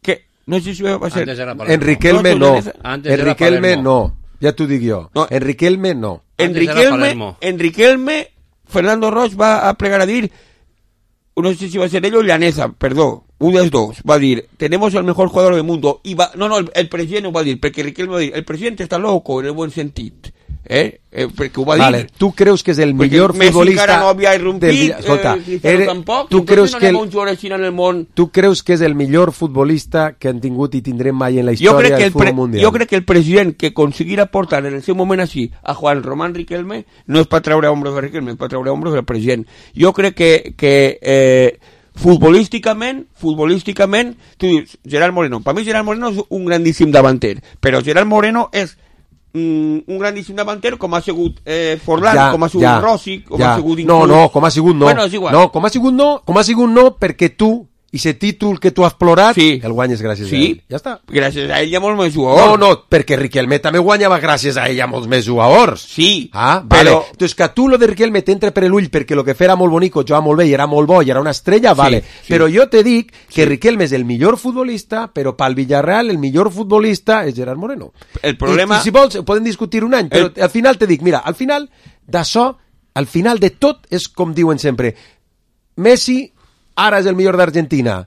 que no sé si va ser Antes era Palermo. En Riquelme No, no, Antes era en Riquelme Palermo. no, ja t'ho dic jo. No. En Riquelme no. en Antes era Riquelme, Palermo. en Riquelme Fernando Ross va a plegar a dir, no sé si va a ser ell o Llaneza, perdó, un dels dos, va a dir, tenemos el mejor jugador del mundo, y va, no, no, el, el presidente ho va a dir, perquè Riquelme va a dir, el presidente está loco, en el buen sentit, eh, eh perquè ho va dir. Vale, tu creus que és el Perquè millor Messi futbolista encara no havia del irrompit, Villa- escolta, eh, Cristiano eres- tampoc, tu entonces creus no que anem a el, un jugador així en el món. tu creus que és el millor futbolista que han tingut i tindrem mai en la Jo història crec, que del el futbol pre, mundial? jo crec que el president que aconseguirà portar en el seu moment així a Juan Román Riquelme no és per treure hombros de Riquelme, és per treure hombros del president. Jo crec que, que eh, futbolísticament, futbolísticament, tu dius, Gerard Moreno, per mi Gerard Moreno és un grandíssim davanter, però Gerard Moreno és mm, un grandíssim davanter com ha sigut eh, Forlán, Ja, com ha sigut ja, Rossi, com ja. ha sigut... No, inclús- no, com ha sigut no. Bueno, és igual. No, com ha sigut no, com ha sigut no perquè tu, i ese títol que tu has plorat, Sí. el guanyes gràcies Sí. a ell. Ja està. Gràcies a ell hi ha molt més No, jugadors. no, perquè Riquelme també guanyava gràcies a ell a molts més jugadors. Sí, Ah, vale. però- Entonces que a tu lo de Riquelme t'entra per l'ull perquè lo que fer era molt bonico, jugava molt bé i era molt bo i era una estrella, vale. sí. Però jo te dic que Riquelme és el millor futbolista, però pel Villarreal el millor futbolista és Gerard Moreno. El problema- I, i si vols, podem discutir un any, però El- al final te dic, mira, al final d'això, al final de tot, és com diuen sempre, Messi ara és el millor d'Argentina.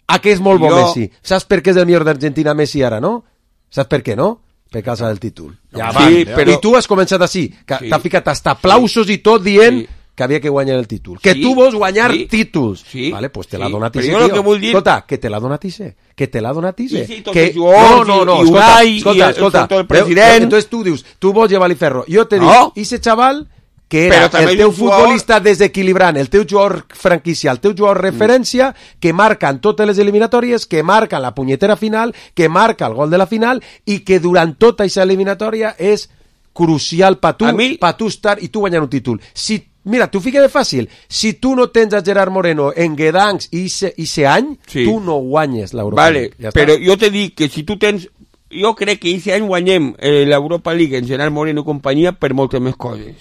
A què és molt bo Jo- Messi? Saps per què és el millor d'Argentina Messi ara, no? Saps per què, no? Per causa del títol. Ja va. Sí, però- I tu has començat així, que Sí. t'ha ficat hasta aplausos i tot dient Sí. que havia que guanyar el títol. Que Sí, tu vols guanyar sí, títols. sí, Vale, pues te sí. l'ha donat Però Ise, jo el tio. que vull dir- Escolta, que te l'ha donat Ise. Que te l'ha donat Ise. I sí, tots que... els jugadors, no, no, no, i- i escolta, Unai, escolta, i el- escolta. el- el Veu? president. Entonces tu dius, tu vols llevar-li ferro. Jo te No. dic, ese chaval que Però era també el és teu un jugador- futbolista desequilibrant, el teu jugador franquicial, el teu jugador referència, que marca en totes les eliminatòries, que marca en la punyetera final, que marca el gol de la final i que durant tota aquesta eliminatòria és crucial per tu, A mi- per tu estar i tu guanyar un títol. Si Mira, t'ho fica de fàcil. Si tu no tens a Gerard Moreno en Guedancs i ese any, Sí. tu no guanyes l'Europa Vale, League. Ja però està. jo te dic que si tu tens... Jo crec que aquest any guanyem eh, l'Europa League en Gerard Moreno i companyia per moltes més coses.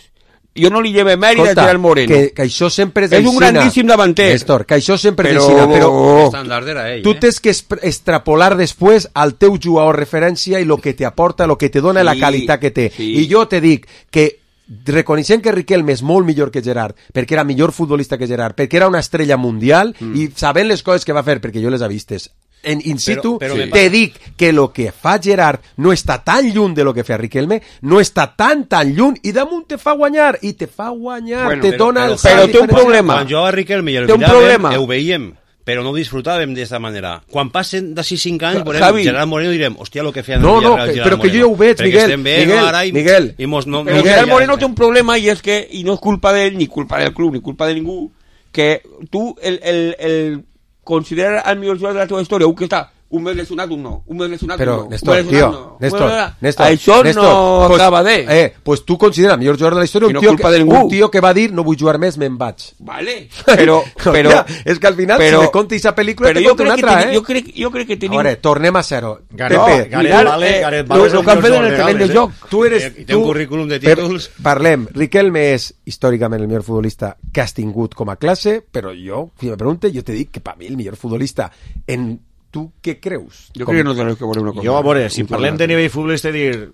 Jo no li lleve mèrit a Escolta, Gerard Moreno. que, que això sempre és És un aixina. grandíssim davanter. Néstor, que això sempre Però- és aixina, però Estàndard era ell, tu eh? tens que esp- extrapolar després al teu jugador referència i lo que te aporta, lo que te dona Sí, la qualitat que té. sí. I jo te dic que reconeixent que Riquelme és molt millor que Gerard, perquè era millor futbolista que Gerard, perquè era una estrella mundial Mm. i sabent les coses que va fer, perquè jo les he vistes en in situ, Però- però me te passa- dic que lo que fa Gerard no està tan lluny de lo que fa Riquelme, no està tan tan lluny i damunt te fa guanyar, i te fa guanyar, Bueno, te però- dona però- el però salt té un diferencial. problema. Quan jugava Riquelme i el Té un miràvem, problema. ho veiem, però no ho disfrutàvem d'esta manera. Quan passen d'ací cinc anys, veurem Javi. Gerard Moreno i direm, hòstia, lo que feia en No, el no, Villarreal que- Gerard però que jo Moreno. ja ho veig, Perquè Miguel, estem bé, Miguel, no, ara, i, Miguel. i mos, no, Però no, Gerard ja- Moreno té un problema i és que, i no és culpa d'ell, ni culpa del club, ni culpa de ningú, que tu el, el, el considerar el millor jugador de la teva història, un que està un mes lesionat, un no, un mes lesionat, Però, un no, Néstor, un mes lesionat, tio, no. Néstor, Bueno, Néstor, això Néstor, no pues, acaba de... Eh, pues tu considera el millor jugador de la història I un, no tio culpa que, de ningú. un tio que va dir no vull jugar més, me'n vaig. Vale, però... però Hòstia, és que al final, però- si me contis a pel·lícula, però te jo conto una crec, que altra, teni- eh? jo, crec, jo crec que A tenim... veure, tornem a zero. Gareth- Pepe, Gareth mirad, Bale- eh, Gareth lo, Bale és lo el que han fet millor en el jugador terreny de legals, joc. tu eres... I té un tu- currículum de per- títols. Parlem, Riquelme és històricament el millor futbolista que has tingut com a classe, però jo, si me pregunte, jo te dic que per mi el millor futbolista en... Tu què creus? Jo Com- crec que no tenim que veure una cosa. Jo, a veure, si Un parlem jugador. de nivell futbolista, dir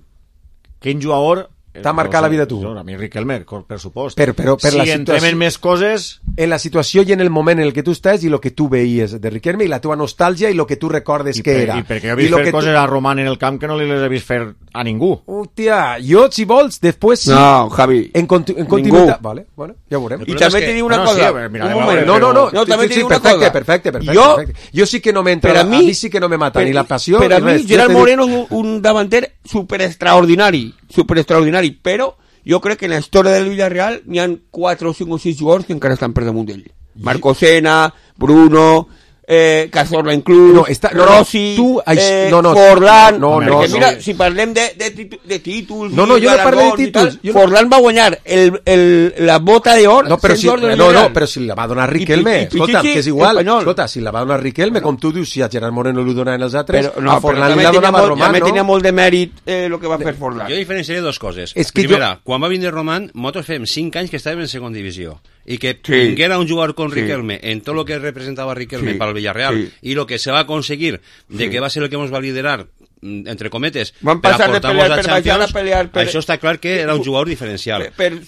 quin jugador... T'ha marcat la vida, tu? No, a mi Riquelme, per supost. Per- però per si la entrem situació- en més coses... En la situació i en el moment en el que tu estàs i el que tu veies de Riquelme i la teva nostàlgia i el que tu recordes I, que per, era. I perquè he vist lo fer que tu- coses a Roman en el camp que no li les he vist fer a ningú. Hòstia, jo, si vols, després sí. No, Javi. En, conti en continuïtat... Vale, bueno, ja ho veurem. I també te dic una no, cosa. sí, a veure, mira, un a veure, moment. No, no, no, No, també sí, te sí, dic una perfecte, cosa. perfecte, perfecte, Jo- perfecte. Jo sí que no m'entra, Per a a mi, mi- a mi sí que no me mata per- ni la passió Per a ni mi, res. Jo Gerard te dic- Moreno és un, un davanter super extraordinari, super extraordinari, però jo crec que en la història del Villarreal n'hi ha quatre o cinc o sis jugadors que encara estan per damunt d'ell. Marco Sena, Bruno, eh, Cazorla inclús, No, està- no, no, Rossi, tu- ai, eh, no, no, Forlán, no, no, perquè no. mira, si parlem de, de, titu- de títols No, no, i jo no parlo de galardons i tal, títols, jo no- Forlán va guanyar el, el, la bota d'or No, però sent si, jugador del no, no, Villarreal. però si la va donar Riquelme, I- i- i- escolta, Pichichi, que és igual, espanyol. escolta, si la va donar Riquelme, com tu dius, si a Gerard Moreno li donaven els altres, Però, no, a però Forlán també li la tenia donava molt, Román, també no? tenia molt de mèrit eh, el que va fer Forlán. Jo diferenciaré dos coses. És que Primera, quan va vindre Roman, nosaltres fem cinc anys que estàvem en segona divisió i que Sí. vinguera un jugador con Sí. Riquelme en tot lo que representava Riquelme Sí. para el Villarreal Sí. y lo que se va a conseguir de Sí. que va a ser el que nos va a liderar mm, entre cometes Van per passar de aportar-nos pelear la per baixar a Champions, pelear per- això està clar que era un jugador diferencial. per, per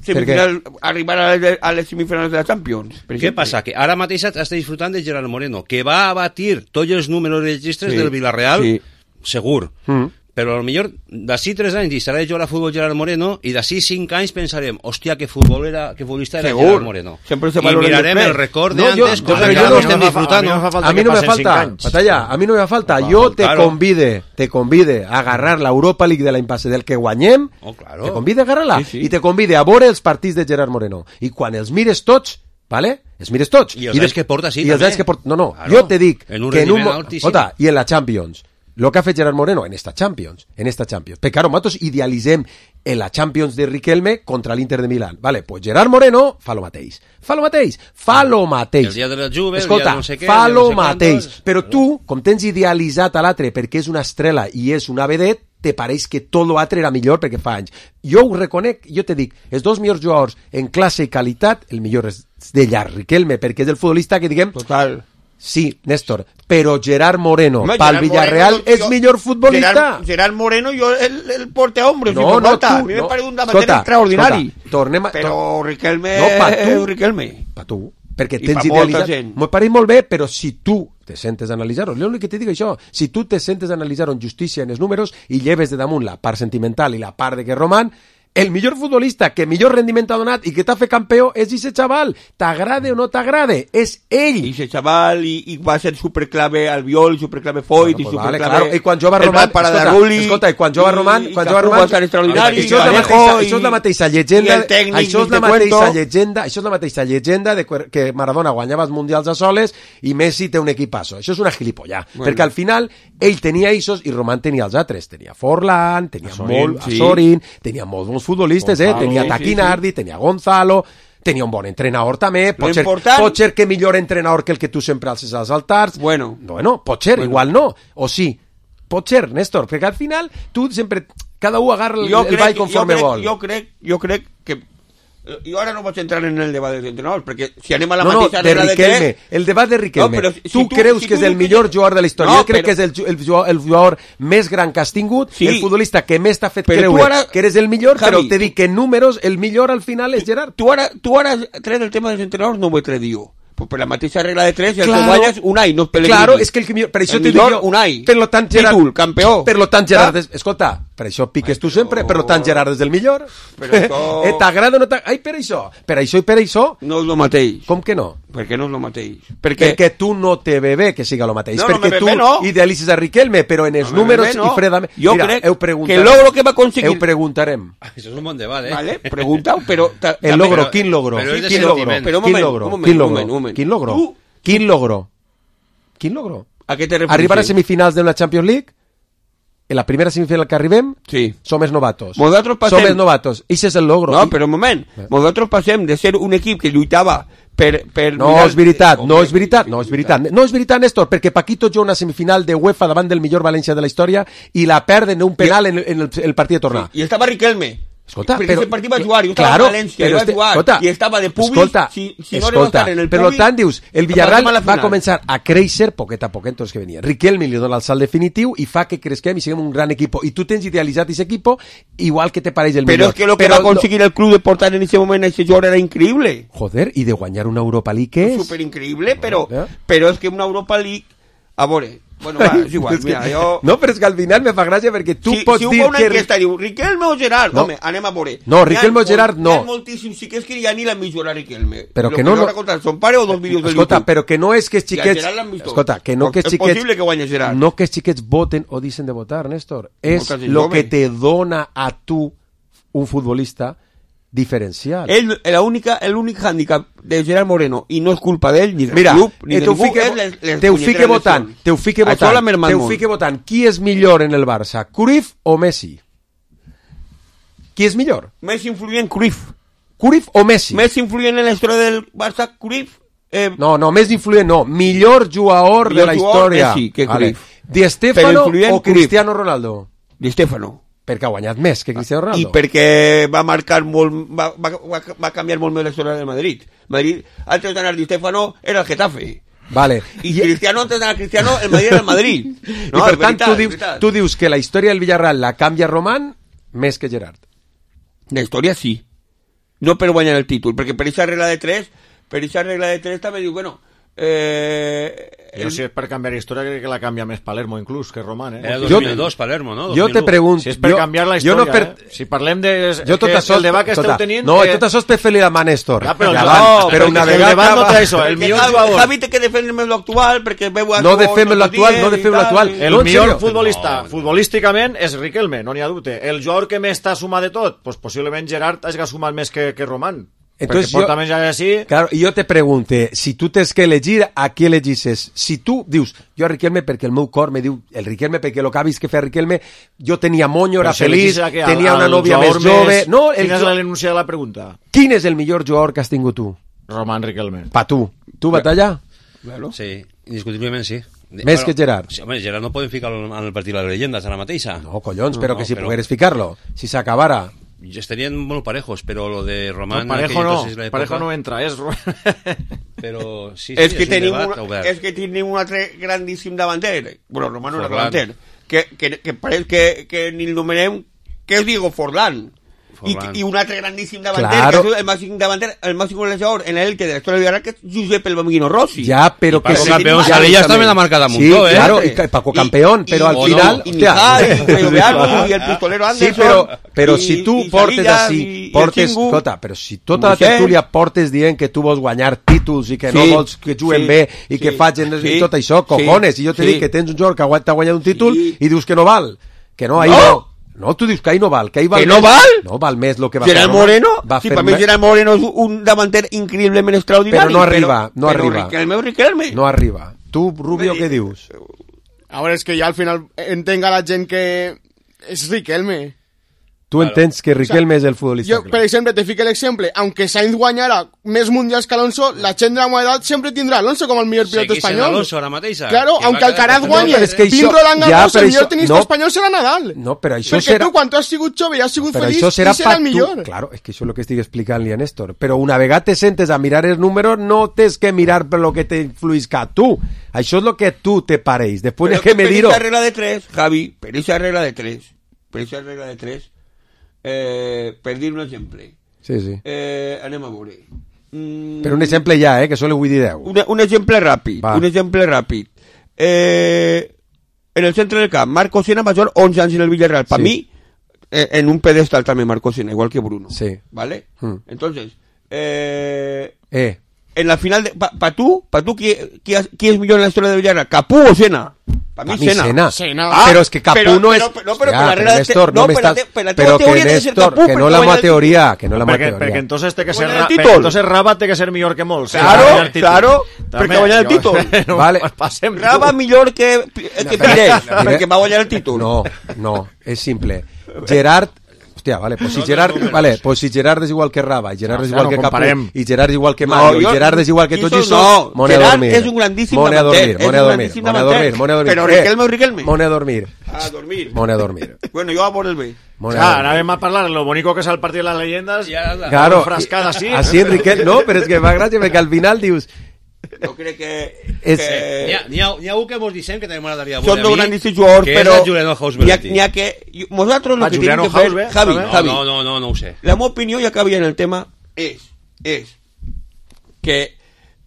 semifinal, arribar a les, a les semifinals de la Champions. Per Què exemple. passa? Que ara mateix està disfrutant de Gerard Moreno, que va a batir tots els números registres Sí. del Villarreal, Sí. segur. Mm. Però potser d'ací tres anys deixarà de jugar a futbol Gerard Moreno i d'ací cinc anys pensarem, hòstia, que futbolera, que futbolista era Segur. Gerard Moreno. Sempre se I valoren mirarem després. el record No, de jo- antes, jo- cosa però que jo ara no- no estem a mi no fa- disfrutando. a mi no fa falta A mi que no me passen cinc falta, anys. Batalla, a mi no me falta. Jo te claro. convide, te convide a agarrar l'Europa League de l'any passat del que guanyem, Oh, claro. te convide a agarrar-la, Sí, sí. i te convide a veure els partits de Gerard Moreno. I quan els mires tots, vale? Els mires tots. I els anys que porta, sí, I els també. anys que porta, no, no, Claro. jo te dic En un que en un... rendiment mo- altíssim. Ota, i en la Champions, lo que ha fet Gerard Moreno en esta Champions, en esta Champions. Perquè, claro, nosaltres idealitzem en la Champions de Riquelme contra l'Inter de Milán. Vale, pues Gerard Moreno fa lo mateix. Fa lo mateix. Fa lo mateix. El dia de la Juve, el Escolta, dia de no sé què, fa el dia de lo no sé mateix. quantos. Però tu, com tens idealitzat a l'altre perquè és una estrela i és una vedet, te pareix que tot l'altre era millor perquè fa anys. Jo ho reconec, jo te dic, els dos millors jugadors en classe i qualitat, el millor és de llarg, Riquelme, perquè és el futbolista que diguem... Total. Sí, Néstor, però Gerard Moreno, Home, pel Gerard Villarreal, Moreno, és jo- millor futbolista. Gerard, Gerard Moreno, jo el, el porte hombres, No, si fa no, falta. tu, a mi me no. parece un davanter Escolta, extraordinari. escolta, tornem a- Però tor- Riquelme... No, pa tu. Riquelme. Pa tu, perquè I tens pa molta idealitzat... gent. M'ho pareix molt bé, però si tu te sentes a analitzar-ho, l'únic que te dic això, si tu te sentes a analitzar-ho en justícia en els números i lleves de damunt la part sentimental i la part de que Roman, el millor futbolista que millor rendiment ha donat i que t'ha fet campió és ese xaval. T'agrade o no t'agrade, és ell. I ese chaval, i, i va ser superclave Albiol, superclave Foyt, Bueno, i pues vale, superclave... claro. I quan jugava el Roman, Para escolta, de Rulli, escolta, i quan jugava Roman, i quan Cafú jugava Roman, va estar extraordinari, això és la Vallejo, mateixa, i- això és la mateixa llegenda, i el tècnic, això és ni la te mateixa cuento. llegenda, això és la mateixa llegenda de que- que Maradona guanyava els mundials a soles i Messi té un equipasso. Això és una gilipollà, Bueno. perquè al final ell tenia isos i Roman tenia els altres, tenia Forlán, tenia Azorín, molt sí. Azorín, tenia molts bons molts futbolistes, eh? Gonzalo, Tenia sí, Taquinardi, sí. tenia Gonzalo, tenia un bon entrenador també, pot ser, important- pot ser que millor entrenador que el que tu sempre alces als altars. Bueno. Bueno, pot ser, Bueno. igual no, o sí. Pot ser, Néstor, perquè al final tu sempre, cada un agarra el, Jo el crec, ball conforme jo crec, vol. Jo crec, jo crec que... Jo ara no vaig entrar en el debat dels entrenadors, perquè si anem a la No, no, mateixa de regla de Riquelme, tres... el debat de Riquelme. No, però si tu, tu- creus si que tu és el dius que millor és- jugador de la història. No, jo crec però- que és el, ju- el, jugador, el jugador més gran que has tingut, Sí. el futbolista que més t'ha fet Però tu creure ara- que eres el millor, Javi, però te dic que en números el millor al final és Gerard. Tu ara, tu ara tret el tema dels entrenadors no ho he tret jo. Pues per la mateixa regla de tres, el Claro. que guanyes Unai, no és Pellegrini. Claro, és que el que millor... Per això El te dic millor, jo... Unai. Per lo tant, Gerard... Títol, campió. Per lo tant, Gerard... Ah. És, escolta, per això piques tu sempre, per lo tant, Gerard és el millor. Però això- eh, T'agrada o no t'agrada? Ai, per això. Per això i per això... No és el mateix. Com que no? Perquè no és el mateix. Perquè... Perquè tu no te ve bé que siga el mateix. No, no perquè me tu ve bé, no. idealitzes a Riquelme, però en els No me números ve bé, no. i fredament... Jo Mira, crec heu que preguntat. el logro que va aconseguir... Heu preguntarem. Això és un bon debat, eh? Vale, pregunta-ho, però... ta- El també- logro, però- quin logro? però és de Quin logro? sentiment. Però un Quin moment, logro? un moment, Quin un logro? moment, un moment. Quin logro? Tu- Quin logro? Quin logro? A què te refereixes? Arribar a semifinals d'una Champions League, en la primera semifinal que arribem, Sí. som els novatos. Nosaltres passem- Som els novatos. Ese és el logro. No, I- però un moment. Nosaltres passem de ser un equip que lluitava per... per No mirar- és veritat, no és veritat, no és veritat. No és veritat, Néstor, perquè Paquito juga una semifinal de UEFA davant del millor València de la història i la perden en un penal en el, en el, el partit de tornar. I estava Riquelme. Escolta, perquè però... ese partit va jugar, jo estava claro, a València, però i va este- jugar, escolta, i estava de públic, escolta, si, si no escolta, era estar en el per públic... tant, dius, el Villarreal passem a la va final. començar a créixer poquet a poquet tots que venia. Riquelme li dona el salt definitiu i fa que cresquem i siguem un gran equip. I tu tens idealitzat aquest equip igual que te pareix el Però millor. és que lo que Però va aconseguir el club de portar en ese moment a ese jugador era increïble. Joder, i de guanyar una Europa League, què és? Super increïble, però, Ja. però és que una Europa League... A veure, bueno, va, és igual, És que- mira, jo... No, però és que al final me fa gràcia perquè tu si, pots si dir ho fa una que... enquesta, diu, Riquelme o Gerard? No. Home, anem a veure. No, N'hi ha Riquelme o molt- Gerard, no. N'hi ha moltíssims, sí que és que ja ni l'han vist jugar a Riquelme. Però Lo que no, no... no- L'haurà contat son pare o dos vídeos de Escolta, YouTube. però que no és que els I a xiquets... Gerard l'han vist tots. Escolta, que no que els És xiquets... possible que guanyi Gerard. No que els xiquets voten o dicen de votar, Néstor. És Molta gent lo jove. que te dona a tu un futbolista diferencial. Ell, la única, el únic hàndicap de Gerard Moreno, i no és culpa d'ell, ni del Mira, club, ni eh, de te ho ningú, fique, és les, les te ho puñeteres fique votant, lesions. te ho fique Això votant, l'ha mermat te ho molt. fique votant. Qui és millor en el Barça, Cruyff o Messi? Qui és millor? Més influent Cruyff. Cruyff o Messi? Més influent en la història del Barça, Cruyff. Eh, No, no, més influent no. Millor jugador Millor de la jugador, història. Messi, que Vale. Cruyff. Di Stéfano Però influent, o Cruyff. Cristiano Ronaldo? Di Stefano. Perquè ha guanyat més que Cristiano I Ronaldo. perquè va marcar molt, va, va, va, va canviar molt més la història del Madrid. Madrid, antes d'anar Di Stefano, era el Getafe. Vale. I Cristiano, antes d'anar Cristiano, el Madrid era el Madrid. No, I per és tant, veritat, tu és dius, veritat. tu dius que la història del Villarreal la canvia Román més que Gerard. La història sí. No per guanyar el títol, perquè per aquesta regla de tres, per aquesta regla de tres també diu, bueno, eh, Jo, si és per canviar història, crec que la canvia més Palermo, inclús, que Román, eh? Era Jo- dos mil dos, Palermo, no? Jo te pregunto... Si és per jo- canviar la jo història, no per- eh? Si parlem de... Jo tot que això... el debat que esteu escolta, tenint... No, eh, tot això és per fer-li la mà a Néstor. Ja, però Ja no, va, perquè però una el vegada... debat no acaba- té això, el Perquè millor Javi, jugador... Javi té que defendre l'actual perquè veu a No Cor, defem tots l'actual, els no dies defem i tal. l'actual. El No, en millor serio. futbolista, No. futbolísticament, és Riquelme, no n'hi ha dubte. El jugador que més t'ha sumat de tot, pues possiblement Gerard hagi sumat més que, que Román. Entonces, Perquè porta jo- més ja així... Claro, y yo te pregunte, si tú tens que elegir, a qui elegisses? Si tu dius, jo a Riquelme perquè el meu cor me diu, el Riquelme perquè el que ha vist que fer Riquelme, jo tenia monyo, era Però si feliç, elegis a que al- tenia una al nòvia més jugador jove... No, el Quina és jo- l'enunciada de la pregunta? Quin és el millor jugador que has tingut tu? Román Riquelme. Pa tu. Tu, Batalla? Claro. Sí, indiscutiblement sí. Més que Gerard. Sí, home, Gerard no podem ficar en el partit de les llegendes ara mateixa. No, collons, però No, que si però- pogueres ficar-lo, si s'acabara... Estarien molt parejos, però lo de Román... No, Parejo aquell no, entonces, la època- Parejo no entra, és... Però sí, sí, és que un tenim debat un, obert. és que tenim un altre grandíssim davanter, bueno, Romano era Forlán. davanter, que, que, que pareix que, que ni el nomenem, que és Diego Forlán. I, Forlán. i un altre grandíssim davanter, Claro. que és el màxim davanter, el màxim golejador en el que de la història de Villarreal, que és Josep el Bambino Rossi. Ja, però que... Paco sí, Campeón ja, Salillas escúchame. también la marca de Sí, Mundo, ¿eh? claro, y Paco Campeón, pero al o final... no, Y hostia. Mijal, y Pedro Beardo, y el pistolero Sí, Anderson. però, però i- si tu i portes Salillas, així, i- i el portes, Xingu, escolta, però si tota la Moisés. tertúlia portes dient que tu vols guanyar títols i que no Sí, vols que juguen sí, bé i que sí, facin sí, i tot això, sí, cojones, i jo te sí. dic que tens un jugador que ha- t'ha guanyat un títol Sí. i dius que no val, que no, ahí No. no. No, tu dius que ahí no val, que ahí val Que no més. val? No val més lo que va Gerard fer Moreno, va sí, fer per mi més- Gerard Moreno és un davanter increïblement extraordinari. Però no arriba, no però arriba. Riquelme o Riquelme. No arriba. Tu, Rubio, què dius? A veure, és que ja al final entenga la gent que és Riquelme. Tu claro. entens que Riquelme o sea, és el futbolista jo, per exemple, te fico l'exemple, aunque Sainz guanyara més mundials que Alonso, la gent de la meva edat sempre tindrà Alonso com el millor pilot espanyol. Alonso ara mateixa. Claro, aunque Alcaraz guanyi, no, Pim Roland Garros, el millor tenista no, espanyol serà Nadal. No, però això Perquè serà... tu, quan tu has sigut jove i has sigut però feliç, això serà i serà el millor. Tu. Claro, és que això és el que estic explicant-li a Néstor. Però una vegada te sentes a mirar els números, no tens que mirar per lo que te influisca tu. Això és lo que tu te pareix. Després però que me dir-ho... Per aquesta regla de tres, Javi, per aquesta regla de tres, per aquesta regla de tres, Eh, per dir un exemple sí, sí. Eh, anem a veure mm, però un exemple ja, eh, que solo vull dir deu un, un exemple ràpid Va. un exemple ràpid eh, en el centre del camp Marco Sena va jugar onze anys en el Villarreal per sí. mi eh, en un pedestal també Marco Sena igual que Bruno sí. ¿vale? Mm. entonces eh, eh. en la final de, pa, pa tu, pa tu qui, qui, qui és millor en la història del Villarreal, Capú o Sena? Pa mi, Sena. Sena. Sena. Ah, però és que Capú però, no és... Però, però, però, ja, però Néstor, no, no però, estàs... però, però que Néstor, Capú, que no la meva teoria, que no la meva perquè, teoria. perquè entonces té que ser, ra perquè entonces Rabat té que ser millor que molts. Claro, claro, perquè va guanyar el títol. No, vale. Rabat millor que, que Pires, perquè va guanyar el títol. No, no, és simple. Gerard... Hòstia, vale, pues si Gerard, vale, pues si Gerard és igual que Raba, i Gerard és igual que Capú, i Gerard és igual que Mario, i Gerard és igual que tots això, mone a dormir. Gerard és un grandíssim mone a dormir, mone a dormir, mone a dormir, mone a dormir. Però Riquelme o Riquelme? Mone a dormir. A dormir. Mone a dormir. Bueno, jo a por el bé. Claro, anàvem a parlar de lo bonito que és el partit de les llegendes, claro, frascada así. Así Enrique, no, però és que fa gràcia perquè al final dius... Jo crec que... És... que... N'hi ha, ha un que mos dicen que també m'agradaria veure a mi, són grandíssims jugadors, però... Que és Juliano Hausberg. N'hi ha que... Nosaltres lo que tenim que fer... Javi, Javi. No, no, no, no ho sé. La meva opinió, ja que havia en el tema, és... És... Que...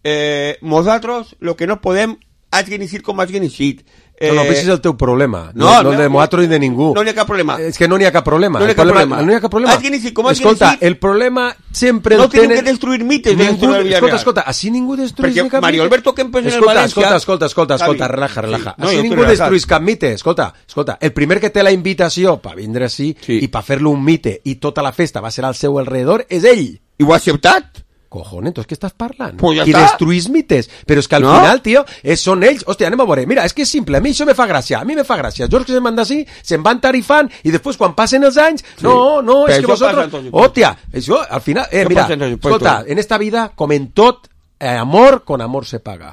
Eh, nosaltres lo que no podem... Hagin eixit com hagin eixit. Eh, no, no, és el teu problema, no, no, no, no de nosaltres ni de ningú. No n'hi ha cap problema. És que no n'hi ha cap problema. No n'hi ha cap problema. No n'hi ha cap problema. Com escolta, el problema sempre no el tenen... No tenen que destruir mites de ningú, escolta, escolta, així ningú destruís Perquè cap Mario mite. Alberto Kempes en el escolta, València... Escolta, escolta, escolta, escolta, relaja, relaja. Sí. No, així ningú destruís cap mite. Escolta, escolta, el primer que té la invitació per vindre així sí. i per fer-lo un mite i tota la festa va ser al seu alrededor és ell. I ho ha acceptat? Cojones, entonces, ¿qué estás parlando? Pues ya y está. destruís mites. Pero es que al ¿No? final, tío, es, son ells. Hòstia, anem a veure. Mira, és que és simple. A mi això me fa gràcia. A mi me fa gràcia. George que se'n van d'ací, se'n van tarifant, i després, quan passen els anys, sí. no, no, és que vosotros... Hòstia, això, al final... Eh, mira, escolta, en esta vida, com en tot, eh, amor, con amor se paga.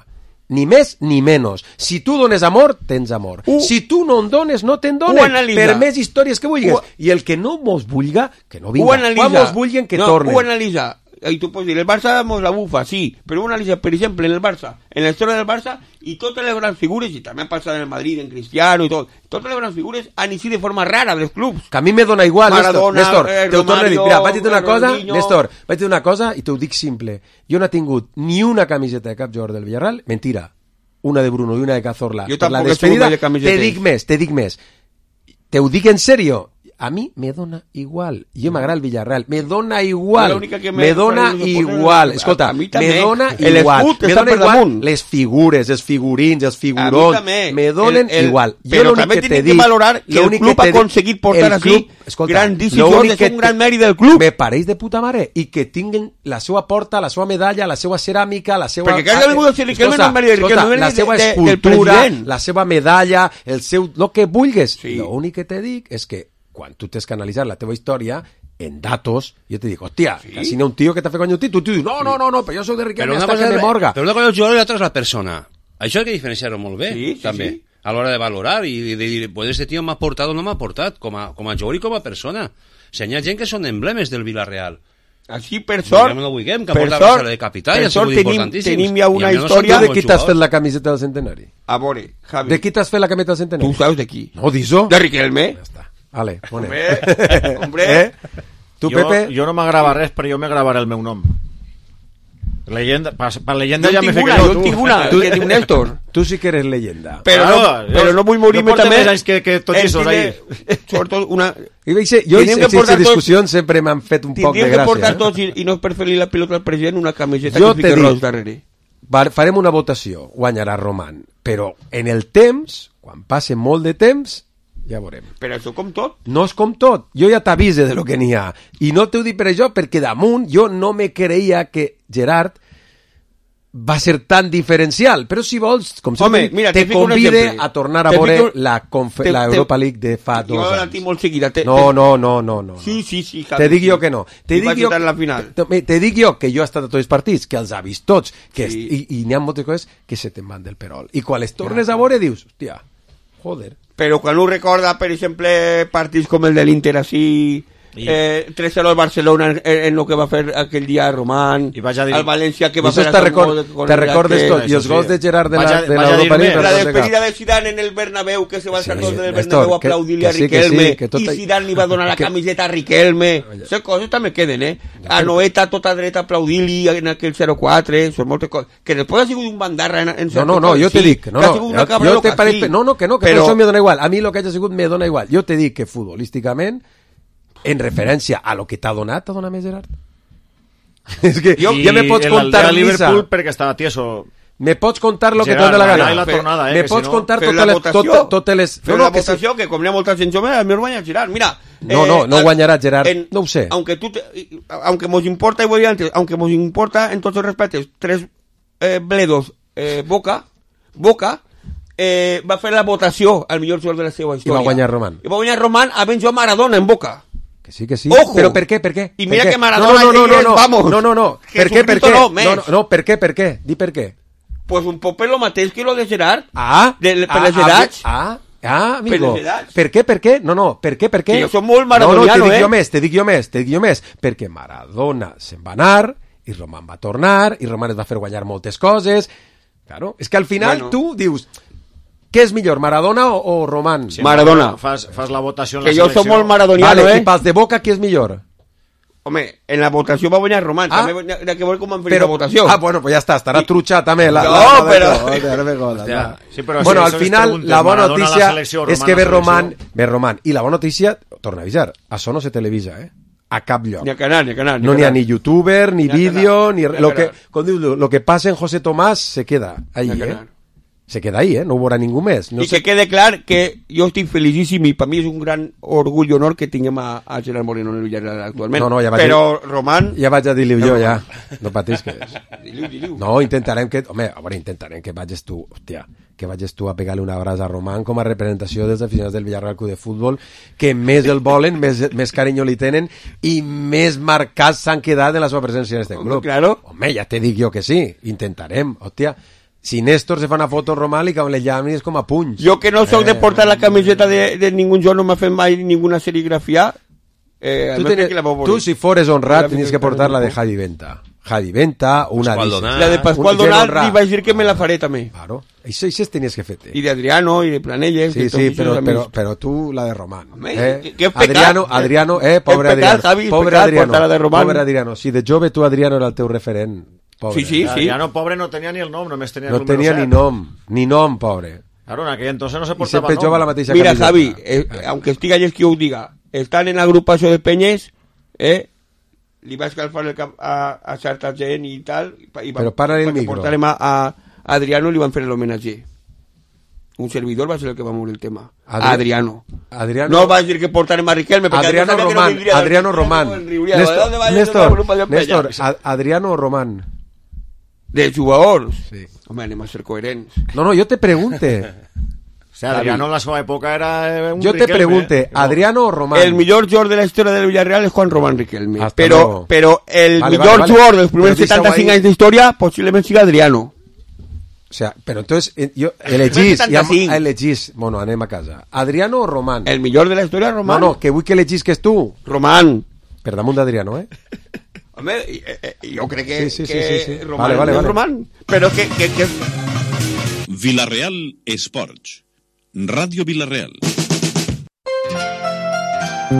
Ni més ni menys. Si tu dones amor, tens amor. Uh, si tu no en dones, no te'n donen. Per més històries que vulguis. Uh, I el que no mos vulga, que no vinga. Quan mos vulguen, que no, tornen. Ho analitza. Y tú puedes decir, el Barça mos la bufa, sí, pero una analiza, por ejemplo, en el Barça, en la historia del Barça, y todas las grandes figuras, y también pasa en el Madrid, en Cristiano y todo, todas las grandes figuras han sido de forma rara dels clubs. Que a mi me dona igual, Maradona, Néstor. eh, Te ho torno a dir. Mira, vaig dir una cosa, Ronaldinho. Néstor, vaig dir una cosa i t'ho dic simple. Jo no he tingut ni una camiseta de cap jugador del Villarreal, mentira, una de Bruno i una de Cazorla. Jo per la tampoc he despedida, tingut camisetes. te dic més, te dic més. Te ho dic en serio. A mi me dona igual. Jo m'agrada el Villarreal. Me dona igual. Me, me dona igual. Escolta, me dona el igual. escut Me dona igual les figures, els figurins, els figurons. Me donen el, el, igual. Però també tenim que valorar que el club ha aconseguit portar així grandíssim. És un gran mèrit del club. Me pareix de puta mare. I que tinguin la seva porta, la seva medalla, la seva ceràmica, la seva... Perquè cada vingut a ser Riquelme no és mèrit del Riquelme, la seva escultura, la seva medalla, el seu... Lo que vulgues. L'únic que te dic és que quan tu tens que analitzar la teva història en datos, jo te dic, hòstia, sí? Si no un tio que t'ha fet guanyar un títol, tu dius, no, no, no, no, però jo soc de Riquelme hasta que me morga. Però una cosa és el jugador i l'altra és la persona. Això hay que diferenciar-ho molt bé, sí, sí, també, sí. A l'hora de valorar i de dir, pues este tio m'ha portat o no m'ha portat, com a, com a jugador i com a persona. Si hi ha gent que són emblemes del Villarreal. Així, per sort, no vulguem, que per sort, de capital, per sort tenim, tenim ja una I història... De qui t'has fet la camiseta del centenari? A veure, Javi. De qui t'has fet la camiseta del centenari? Tu saps de qui. No, dis-ho. De Riquelme. Ja està. Vale, pone. Hombre, hombre. Eh? Tu, jo, Pepe? Jo no m'agrava res, però jo m'agravaré el meu nom. Leyenda, per, per leyenda jo ja m'he fet una, jo, jo tu. tinc una, tu, que diu Néstor. Tu sí que eres leyenda. Però, claro, no, però no vull morir-me no també... No porta més anys que, que tots aquests ahí. Sobretot una... I veig, jo en aquesta discussió sempre m'han fet un poc de gràcia. Tindríem que portar tots, i, i no per fer-li la pilota al president, una camiseta jo que fique ros darrere. Farem una votació, guanyarà Roman, però en el temps, quan passe molt de temps, ja veurem. Però això com tot? No és com tot. Jo ja t'avise de lo que n'hi ha. I no t'ho dic per això, perquè damunt jo no me creia que Gerard va ser tan diferencial, però si vols, com sempre, Home, mira, te te fico un convide exemple. a tornar a Te veure fico- la, confe- te- la te- Europa League de fa dos Jo la anys. tinc molt seguida. Te, No, te... no, no, no, no. Sí, sí, sí. Te dic jo que no. Te I dic vaig jo, estar en la final. te, te dic jo que jo he estat a tots els partits, que els ha vist tots, que Sí. sí. i, i n'hi ha moltes coses que se te'n van del perol. I quan les tornes a veure dius, hòstia, joder. Però quan ho recorda, per exemple, partits com el de l'Inter així, I- eh, tres cero al Barcelona en, en lo que va fer aquell dia Román, I vaig a dir- al València que I va això fer te, aquell record, gol con te el recordes que- tot, i els sí. gols de Gerard de la, Vaig a- de vaig a l'Europa dir-me- League. la no sé despedida cap. de Zidane en el Bernabéu, que se va Sí, saltar sí, del Néstor, Bernabéu a que- aplaudir-li que a sí, que Riquelme, sí, que tot i hay- Zidane li va donar la que- camiseta a Riquelme. Aquestes coses també queden, eh? A Noeta tota dreta a aplaudir-li en aquell zero quatre, són moltes coses. Que després ha sigut un bandarra en, en No, no, no, jo te dic, no, que ha no, sigut una jo, cabra jo loca, te pareix, sí. no, no, que no, que Però- però... això me dona igual, a mi el que hagi sigut me dona igual, jo te dic que futbolísticament, en referència a lo que t'ha donat, t'ha donat més Gerard? És que jo, I ja me pots el contar Aldea missa, Liverpool perquè estava tieso. me pots contar lo que Gerard, t'ha donat la allà gana, i la Fe- tornada, eh, me que pots si no- contar Feu totes la les, votació. tot, totes les... Feu no, la no, que sí. votació, que com n'hi ha molta gent jove, el meu guanya Gerard. Mira... No, no, no al- guanyarà Gerard, no ho sé. Aunque, tú te- aunque nos importa, y voy antes, aunque nos importa en todos los respetos, tres eh, bledos, eh, Boca, Boca, eh, va a hacer la votación al millor jugador de la seva I història. va guanyar Román. I va guanyar Román a ben jo Maradona en Boca. Que sí, que sí. Ojo. Però per què, per què? I Per mira què? que Maradona no, no, no, no, és, no, vamos, no, no, no. Per què, per Jesucristo què? no, No, més. no, no, per què, per què? Di per què. Pues un poc lo mateix que lo de Gerard. Ah, de, per ah, les edats. Ah, ah, amigo. Per les edats. Per què, per què? No, no, per què, per què? Que jo soc molt No, no, maradoniano, te dic eh? jo més, te dic jo més, te dic jo més. Perquè Maradona se'n va anar, i Román va tornar, i Román es va fer guanyar moltes coses. Claro, és que al final Bueno. tu dius, què és millor, Maradona o, o Román? Sí, Maradona. Fas, fas la votació en Que la jo selecció. soc molt maradoniano, Vale, eh? i pels de Boca, qui és millor? Home, en la votació va guanyar Román. Ah. També n'hi ha que veure com han fet la votació. Ah, bueno, pues ja està, estarà I- trutxa també. La, No, la, la, però- Hòstia, no me jodas, Hòstia, va. sí, però bueno, si al això es final, preguntes, la bona Maradona a la notícia selecció, és Román que a ve la Román, selecció. ve Román. I la bona notícia, torna a avisar, això no se televisa, eh? A cap lloc. Ni a Canal, ni a Canal. No n'hi ha ni youtuber, ni Ni a vídeo, Canal, ni... ni a Lo que, Canal. com diu, lo, lo que passa en José Tomás se queda ahí, Ni a eh? Canal. Se queda ahí, eh? No ho veurà ningú més. No I sé... que quede clar que jo estic felicíssim i per mi és un gran orgull i honor que tinguem a, a Gerard Moreno en el Villarreal actualment. No, no, ja vaig Però Román... Ja vaig a dir-li jo, ja. No patisques. Diliu, diliu. No, intentarem que... Home, a veure, intentarem que vagis tu, hòstia, que vagis tu a pegar-li una abraç a Román com a representació dels aficionats del Villarreal Club de Futbol, que més el volen, més, més carinyo li tenen i més marcats s'han quedat en la seva presència en este Home, club. claro. Home, ja te dic jo que sí, intentarem, hòstia. Si Néstor se fa una foto amb Román i que le llamis com a punys. Jo que no soc Eh, de portar la camiseta de, de ningú jo, no m'ha fet mai ninguna serigrafia. Eh, Tu, almenys tenies, que la vau tu, veure. si fores honrat, La tenies que finestra portar la de del Javi Venta. Javi Venta, una... Pascual dice- Donat. La de Pascual Un gent Donat honrat. li vaig dir que me la faré també. Claro, això, això tenies que fer-te. I d'Adriano, i de Planelles... Sí, de tots sí, aquests però, amics. però, però tu la de Román. Home, Eh? que- que és pecat. Adriano, Adriano, eh, pobre És pecat, Adriano. Javi, és pobre pecat Adriano, portar la de Román. pobre Adriano. Si de jove tu, Adriano, era el teu referent. Pobre. Sí, sí, sí. Adriano, pobre, no tenia ni el nom, només tenia el No número tenia set. ni nom, ni nom, pobre. Claro, en aquell entonces no se I portava sempre nom. jova la mateixa Mira, camiseta. Javi, eh, aunque estiga allí es que ho diga, estan en l'agrupació de Penyes, eh, li va escalfar el cap a, a certa gent i tal, i va, Però para-li el perquè micro. portarem a, a Adriano i li van fer l'homenatge. Un servidor va ser el que va moure el tema. Adri- A Adriano. Adriano, No vas dir que portarem a Riquelme, perquè Adriano sabia que no Román, vindria, Adriano Román. no riuria, Néstor, ¿dónde va a ir Néstor, una agrupación Néstor, peña? Ad- Adriano o Román. De jugadors. Sí. Home, anem a ser coherents. No, no, jo te pregunte. O sea, Adriano en la seva època era eh, un Jo te Riquelme, pregunte, eh? Adriano o Román. El millor jugador de la història del Villarreal és Juan Román Riquelme. Hasta Però, luego. però el Vale, millor vale, vale. jugador dels primers Però deixa-ho setanta-cinc ahí. anys d'història posiblement siga Adriano. O sea, pero entonces, eh, yo, elegís, ja, setanta-cinc. elegís, bueno, anem a casa. Adriano o Román? El millor de la història, Román. No, no, que vull que elegís que és tu. Román. Per damunt d'Adriano, eh? Home, eh, eh, jo crec que, Sí, sí, sí, que sí, sí. Román Vale, vale, és vale. Román. Però que... que, que... Villarreal Esports. Ràdio Villarreal.